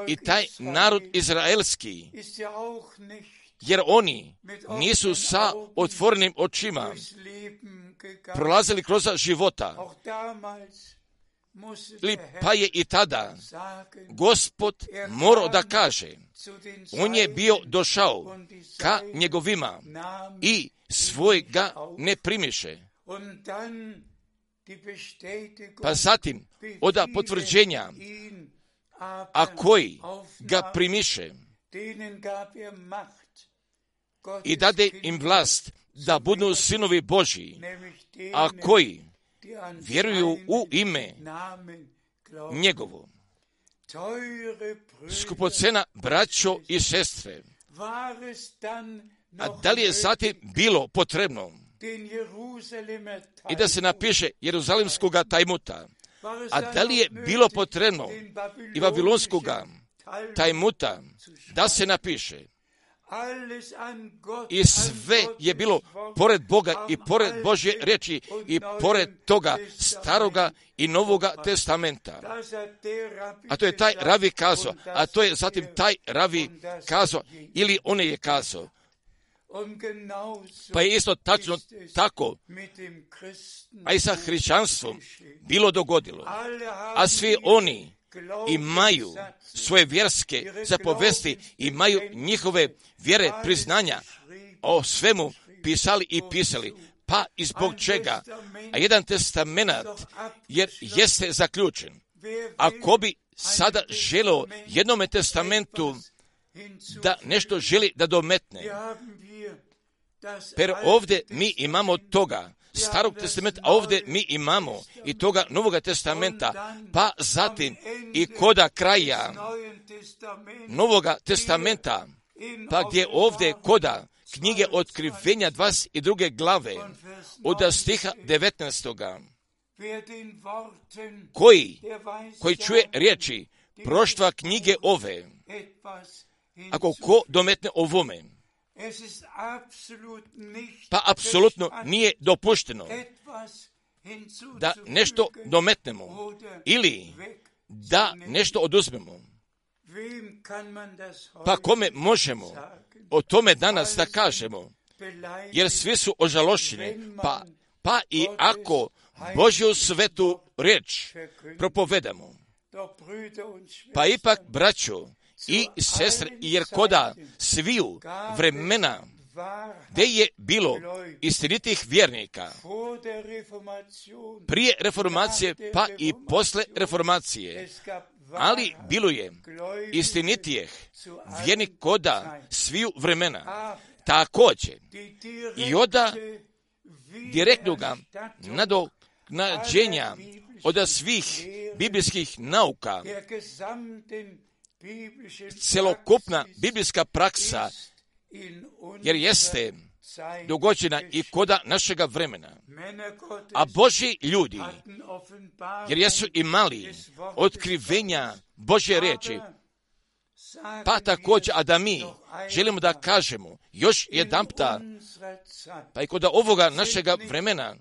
i taj narod izraelski, jer oni nisu sa otvorenim očima prolazili kroz života. Pa je i tada Gospod morao da kaže, on je bio došao ka njegovima i svojega ne primiše. Pa zatim oda potvrđenja, a koji ga primiše i dade im vlast da budu sinovi Božji, a koji vjeruju u ime njegovo. Skupocena braćo i sestre, a da li je zatim bilo potrebno i da se napiše Jeruzalimskoga tajmuta, a da li je bilo potrebno i Vavilonskoga tajmuta da se napiše? I sve je bilo pored Boga i pored Božje riječi i pored toga staroga i novoga testamenta. A to je taj ravi kazao, a to je zatim taj ravi kazao ili on je kazao. Pa je isto tačno tako, a i sa hrišćanstvom bilo dogodilo. A svi oni imaju svoje vjerske zapovesti, imaju njihove vjere priznanja, o svemu pisali i pisali. Pa i zbog čega? A jedan testament jer jeste zaključen. Ako bi sada želeo jednome testamentu da nešto želi da dometne, per ovdje mi imamo toga starog testamenta, a ovdje mi imamo i toga novoga testamenta, pa zatim i koda kraja novoga testamenta, pa gdje ovdje koda knjige Otkrivenja dvadeset druge glave od stiha devetnaestoga koji, koji čuje riječi proštva knjige ove, ako ko dometne ovome, pa apsolutno nije dopušteno da nešto dometnemo ili da nešto oduzmemo. Pa kome možemo o tome danas da kažemo? Jer svi su ožalošćeni, pa, pa i ako Božju svetu riječ propovedamo. Pa ipak, braćo i sestre, jer koda sviju vremena gdje je bilo istinitih vjernika prije reformacije pa i posle reformacije, ali bilo je istinitijeh vjernik koda sviju vremena. Također i oda direktnoga nadoknađenja od svih biblijskih nauka, celokupna biblijska praksa, jer jeste dogođena i koda našega vremena. A Božji ljudi, jer jesu imali otkrivenja Božje riječi, pa također, a da mi želimo da kažemo još jedanputa, pa i kod ovoga našega vremena,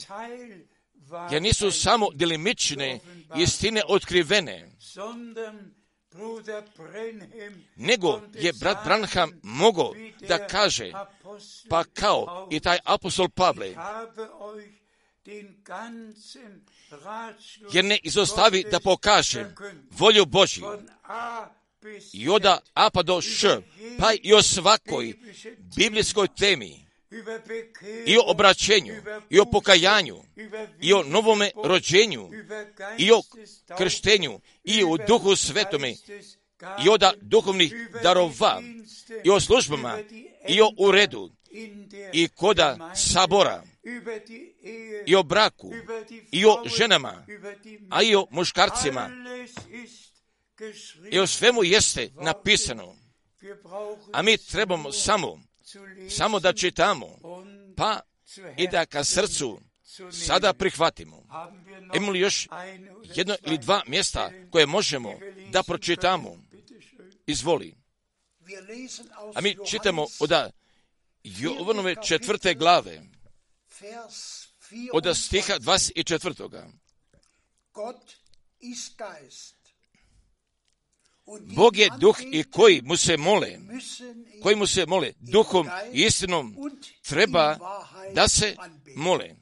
jer nisu samo delimične istine otkrivene, nego je brat Branham mogao da kaže, pa kao i taj apostol Pavle, jer ne izostavi da pokažem volju Božju i od A pa do Š, pa i o svakoj biblijskoj temi, i o obraćenju, i o pokajanju, i o novome rođenju, i o krštenju, i o duhu svetome, i o duhovnih darova, i o službama, i o uredu, i koda sabora, i o braku, i o ženama, a i o muškarcima. I o svemu jeste napisano. A mi trebamo samo, samo da čitamo, pa i da ka srcu sada prihvatimo. Imamo li još jedno ili dva mjesta koje možemo da pročitamo? Izvoli. A mi čitamo od Jovanove četvrte glave, od stiha dvadeset četvrtoga. Bog je duh i koji mu se mole, koji mu se mole duhom i istinom treba da se mole.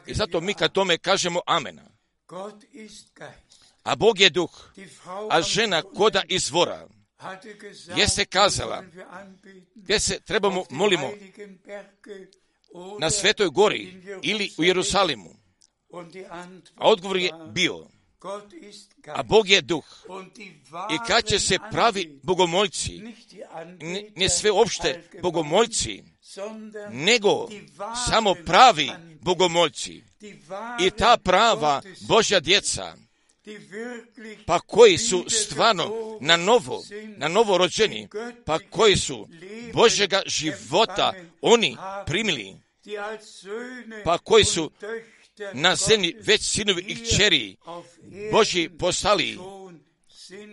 I zato mi kad tome kažemo amena. A Bog je duh, a žena koda izvora jeste kazala gdje se trebamo molimo, na Svetoj gori ili u Jerusalimu. A odgovor je bio, a Bog je duh. I kad će se pravi bogomoljci, ne, ne sve opšte bogomoljci, nego samo pravi bogomoljci i ta prava Božja djeca, pa koji su stvarno na novo, na novo rođeni, pa koji su Božjega života oni primili, pa koji su na zemlji već sinovi i kćeri Božji postali,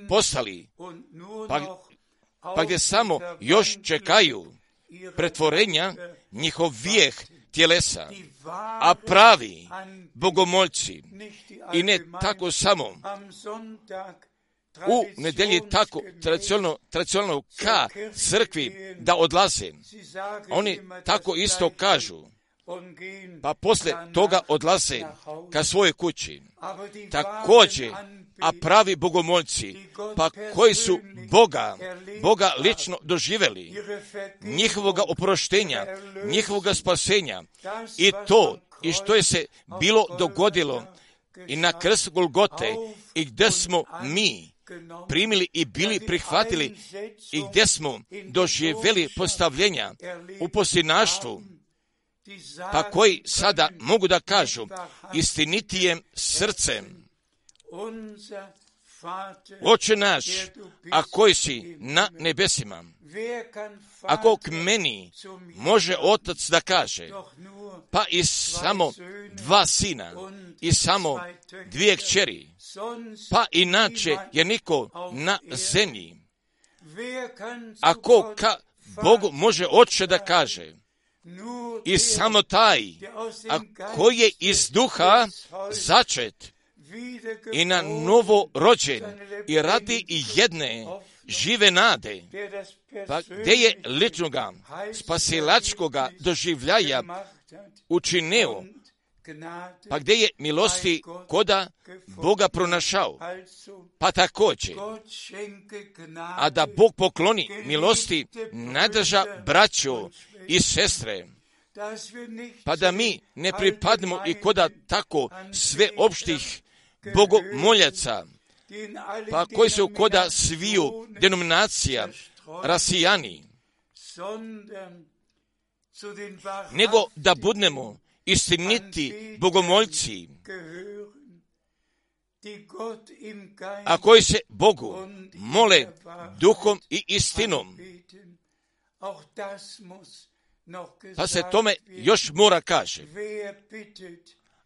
postali, pa, pa gdje samo još čekaju pretvorenja njihovijeh tjelesa, a pravi bogomoljci i ne tako samo u nedelji tako tradicionalno, tradicionalno ka crkvi da odlaze. Oni tako isto kažu, pa posle toga odlaze ka svojoj kući. Također, a pravi bogomoljci, pa koji su Boga, Boga lično doživjeli, njihovoga oproštenja, njihovoga spasenja, i to, i što je se bilo dogodilo i na krstu Golgote, i gdje smo mi primili i bili prihvatili, i gdje smo doživjeli postavljenja u posljednaštvu, pa koji sada mogu da kažu istinitijem srcem, Oče naš, a koji si na nebesima, ako k meni može otac da kaže, pa i samo dva sina i samo dvije kćeri, pa inače je niko na zemlji, ako ka Bogu može oče da kaže, i samo taj, a koji je iz duha začet i na novo rođen i radi i jedne žive nade, pa gdje je ličnoga spasilačkoga doživljaja učinio Pa gdje je milosti koda Boga pronašao? Pa također, a da Bog pokloni milosti najdrža braćo i sestre, pa da mi ne pripadnemo i koda tako sve opštih bogomoljaca, pa koji su koda sviju denominacija rasijani, nego da budemo istiniti bogomoljci, a koji se Bogu mole duhom i istinom. Pa se tome još mora kaže,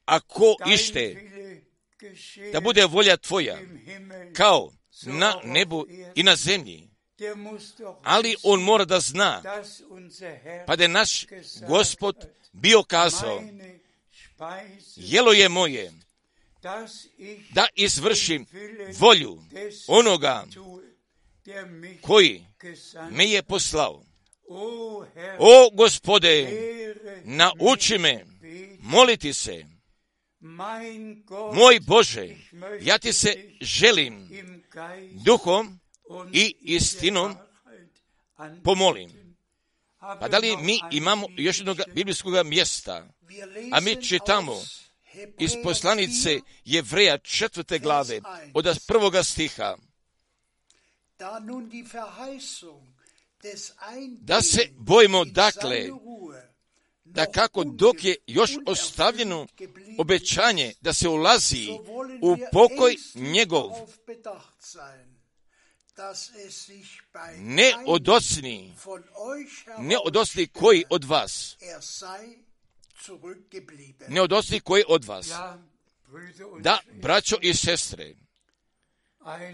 ako ište da bude volja tvoja kao na nebu i na zemlji, ali on mora da zna, pa da je naš Gospod bio kazao, jelo je moje da izvršim volju onoga koji me je poslao. O Gospode, nauči me moliti se. Moj Bože, ja ti se želim duhom i istinom pomolim. Pa da li mi imamo još jednog biblijskog mjesta, a mi čitamo iz poslanice Jevreja četvrte glave od prvoga stiha, da se bojimo dakle, da kako dok je još ostavljeno obećanje da se ulazi u pokoj njegov, ne odocni, ne odocni koji od vas, ne odocni koji od vas, da, braćo i sestre,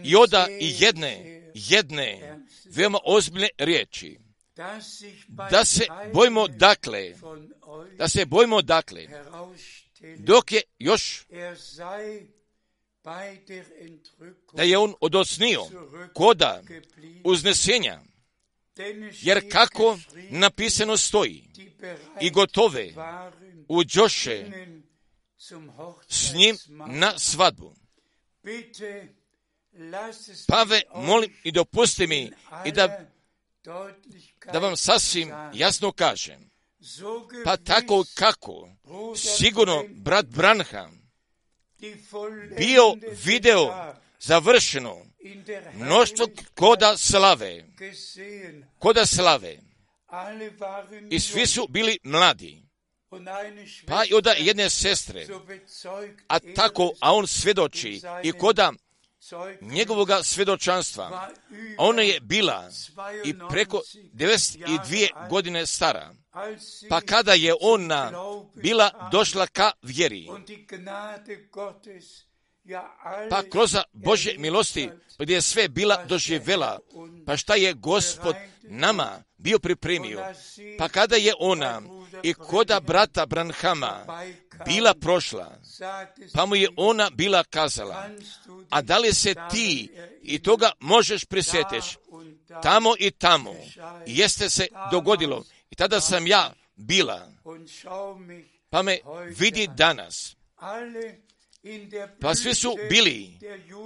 i oda i jedne, jedne, veoma ozbiljne riječi, da se bojimo dakle, da se bojimo dakle, dok je još, da je on odocnio koda uznesenja, jer kako napisano stoji, i gotove uđoše s njim na svadbu. Pave, molim i dopusti mi i da, da vam sasvim jasno kažem, pa tako kako sigurno brat Branham bio video završeno mnoštvo koda slave, koda slave, i svi su bili mladi, pa i od jedne sestre, a tako, a on svjedoči i koda njegovoga svjedočanstva, ona je bila i preko devedeset dvije godine stara, pa kada je ona bila došla ka vjeri, pa kroz Božje milosti, gdje je sve bila doživjela, pa šta je Gospod nama bio pripremio, pa kada je ona i koda brata Branhama bila prošla, pa mu je ona bila kazala, a da li se ti i toga možeš prisjetiš, tamo i tamo, jeste se dogodilo, i tada sam ja bila, pa me vidi danas. Pa svi su bili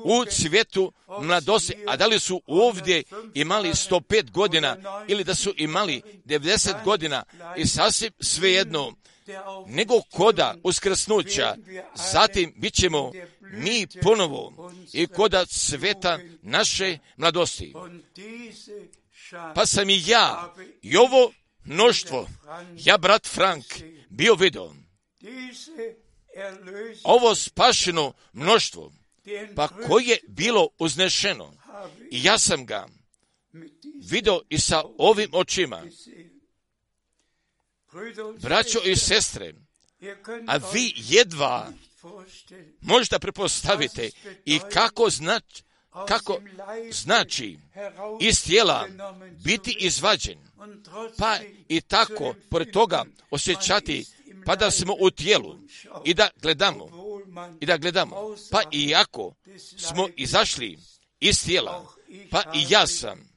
u cvijetu mladosti, a da li su ovdje imali sto pet godina ili da su imali devedeset godina, i sasvim svejedno, nego koda uskrsnuća, zatim bit ćemo mi ponovo i koda cveta naše mladosti. Pa sam i ja i ovo mnoštvo, ja brat Frank, bio vidio. Ovo spašeno mnoštvo, pa koje je bilo uznešeno, i ja sam ga vidio i sa ovim očima. Braćo i sestre, a vi jedva možete prepostaviti i kako znači, kako znači iz tijela biti izvađen, pa i tako pored toga osjećati, pa da smo u tijelu i da gledamo, i da gledamo, pa i ako smo izašli iz tijela, pa i ja sam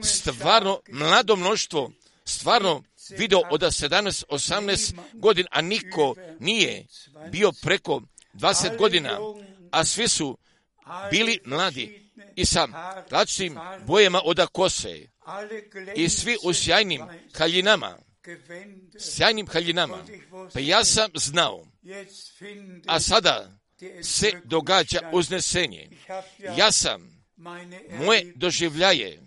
stvarno mlado mnoštvo, stvarno video od sedamnaest osamnaest godina, a niko nije bio preko dvadeset godina, a svi su bili mladi i sa različitim bojama od kose i svi u sjajnim haljinama, sjajnim haljinama. Pa ja sam znao, a sada se događa uznesenje. Ja sam moje doživljaje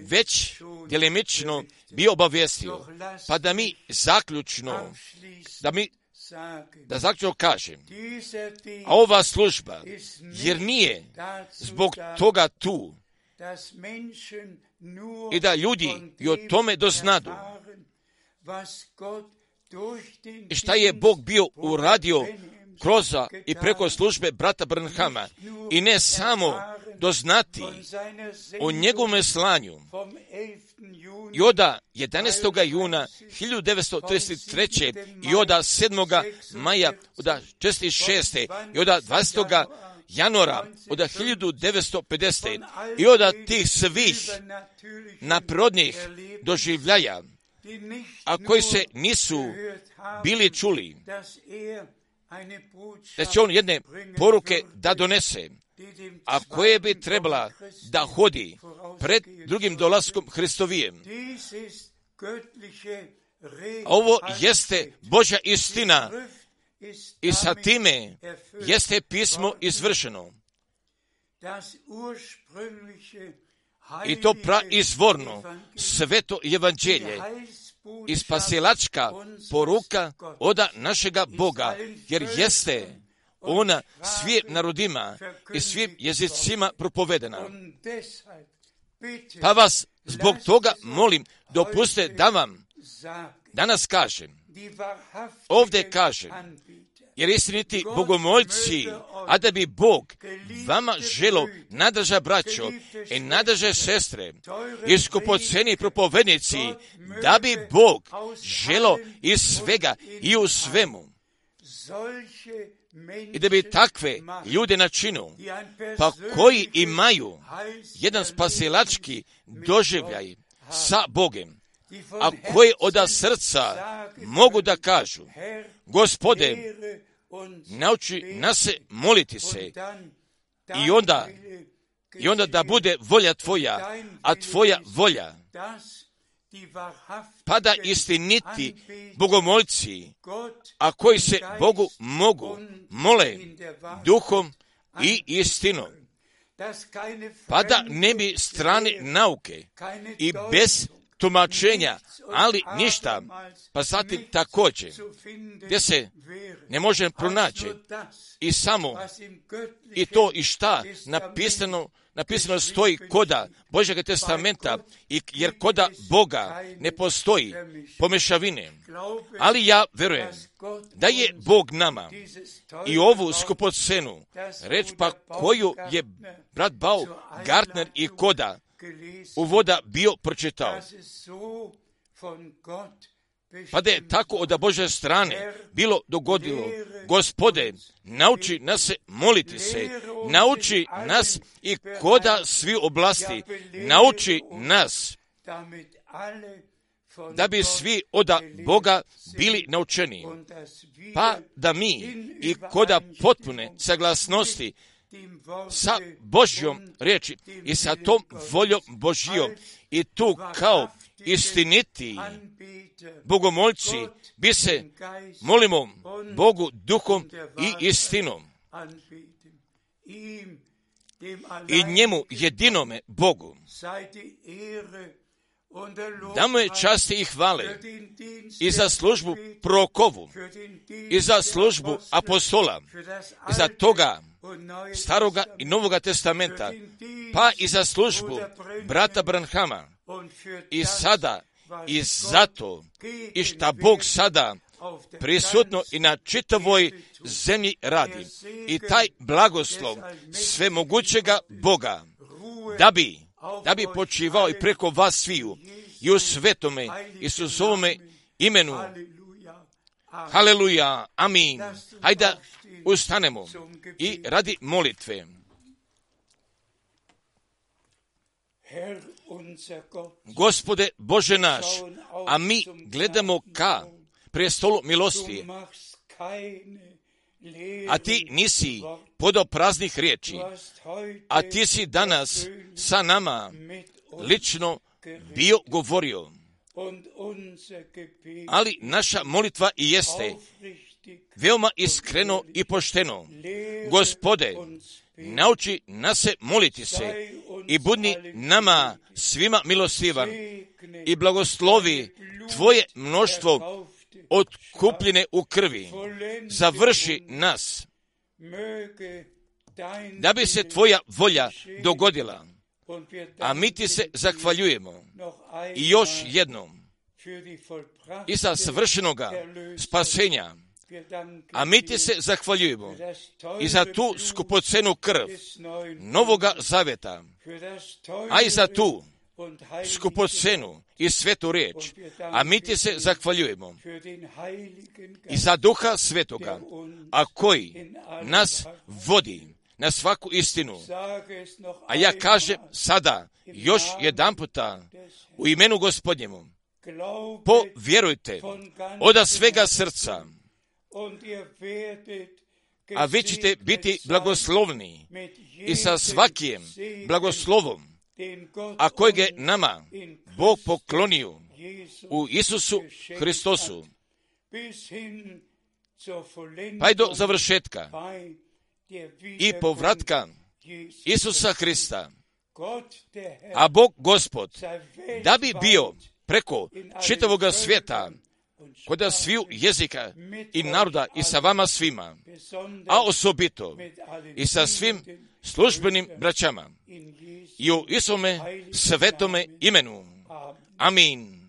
već djelimično bio obavijestio, pa da mi zaključno, da mi da zaključno kažem, a ova služba, jer nije zbog toga tu, i da ljudi i o tome doznadu, i šta je Bog bio uradio kroz i preko službe brata Branhama, i ne samo doznati o njegovom slanju i od jedanaestog juna hiljadu devetsto trideset treće i od sedmog maja od četrdeset šeste i od dvadesetog januara od hiljadu devetsto pedesete i od tih svih naprirodnih doživljaja, a koji se nisu bili čuli, da će on jedne poruke da donese, a koje bi trebala da hodi pred drugim dolaskom Hristovijem. Ovo jeste Božja istina i sa time jeste pismo izvršeno. I to praizvorno sveto evanđelje i spasilačka poruka od našega Boga, jer jeste ona svim narodima i svim jezicima propovedena. Pa vas zbog toga molim, dopustite da vam danas kažem, ovdje kažem, jer istiniti bogomoljci, a da bi Bog vama želo, nadrža braćo i nadrža sestre, i skupoceni propovednici, da bi Bog želo iz svega i u svemu, i da bi takve ljude načinu, pa koji imaju jedan spasilački doživljaj sa Bogem, a koji od srca mogu da kažu, Gospode, nauči nas se moliti se, i onda, i onda da bude volja Tvoja, a Tvoja volja, pa da istiniti bogomoljci, a koji se Bogu mogu, mole duhom i istinom, pa da ne bi strane nauke i bez tumačenja, ali ništa, pa zatim također, gdje se ne može pronaći i samo i to i šta napisano, napisano stoji koda Božjega testamenta, i jer koda Boga ne postoji pomešavine. Ali ja verujem da je Bog nama i ovu skupocenu, reč pa koju je brat Baumgartner i koda uvoda bio pročitao, pa da je tako od Božje strane bilo dogodilo. Gospode, nauči nas se moliti se, nauči nas i koda svi oblasti, nauči nas da bi svi od Boga bili naučeni, pa da mi i koda potpune saglasnosti sa Božjom riječi i sa tom voljom Božjom, i tu kao istiniti bogomoljci bi se molimo Bogu duhom i istinom, i njemu jedinome Bogu damo je časti i hvale i za službu prorokovu, i za službu apostola, i za toga Staroga i Novoga testamenta, pa i za službu brata Branhama, i sada i zato i šta Bog sada prisutno i na čitavoj zemlji radi, i taj blagoslov svemogućega Boga da bi da bi počivao i preko vas sviju i u svetome Isusovome imenu. Haleluja, amin. Hajde da ustanemo i radi molitve. Gospode Bože naš, a mi gledamo ka prestolu milosti, a ti nisi podao praznih riječi, a ti si danas sa nama lično bio govorio. Ali naša molitva i jeste veoma iskreno i pošteno. Gospode, nauči nas se moliti se i budi nama svima milostivan i blagoslovi tvoje mnoštvo otkupljene u krvi. Završi nas da bi se tvoja volja dogodila, a mi ti se zahvaljujemo i još jednom i za svršenoga spasenja, a mi ti se zahvaljujemo i za tu skupocenu krv Novoga Zaveta, a i za tu skupocenu i svetu riječ, a mi ti se zahvaljujemo i za Duha Svetoga, a koji nas vodi na svaku istinu. A ja kažem sada još jedan puta u imenu Gospodnjemu, povjerujte od svega srca, a vi ćete biti blagoslovni i sa svakim blagoslovom, a kojeg je nama Bog poklonio u Isusu Hristosu, pa i do završetka i povratka Isusa Hrista. A Bog Gospod, da bi bio preko čitavoga svijeta, kod sviju jezika i naroda i sa vama svima, a osobito i sa svim službenim braćama i u Isome svetome imenu. Amin.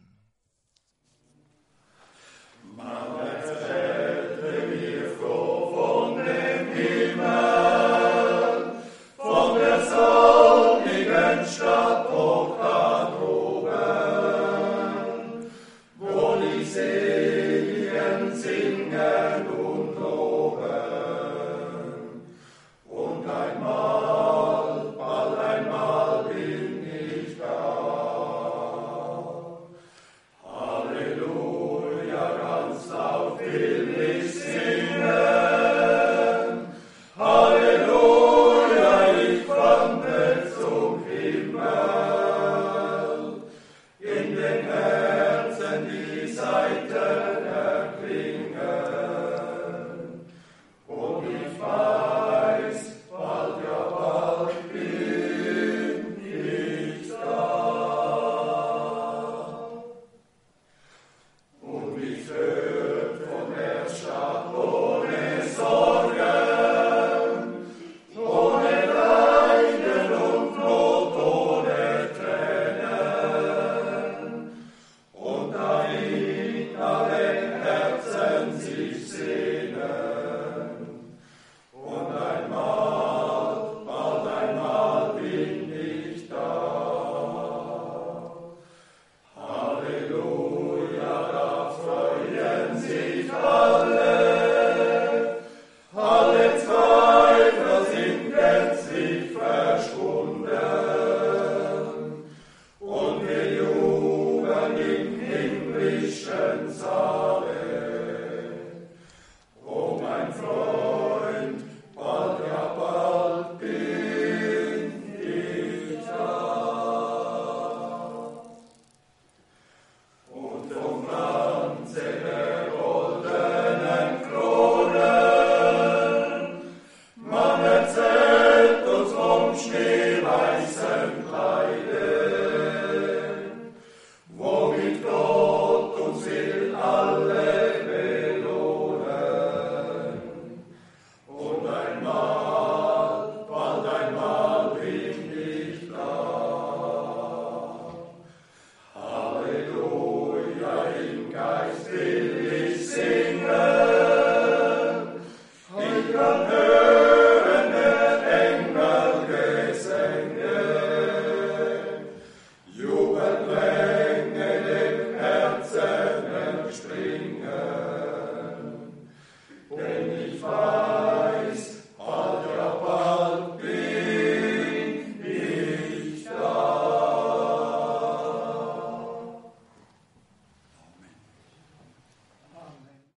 Schneeweißen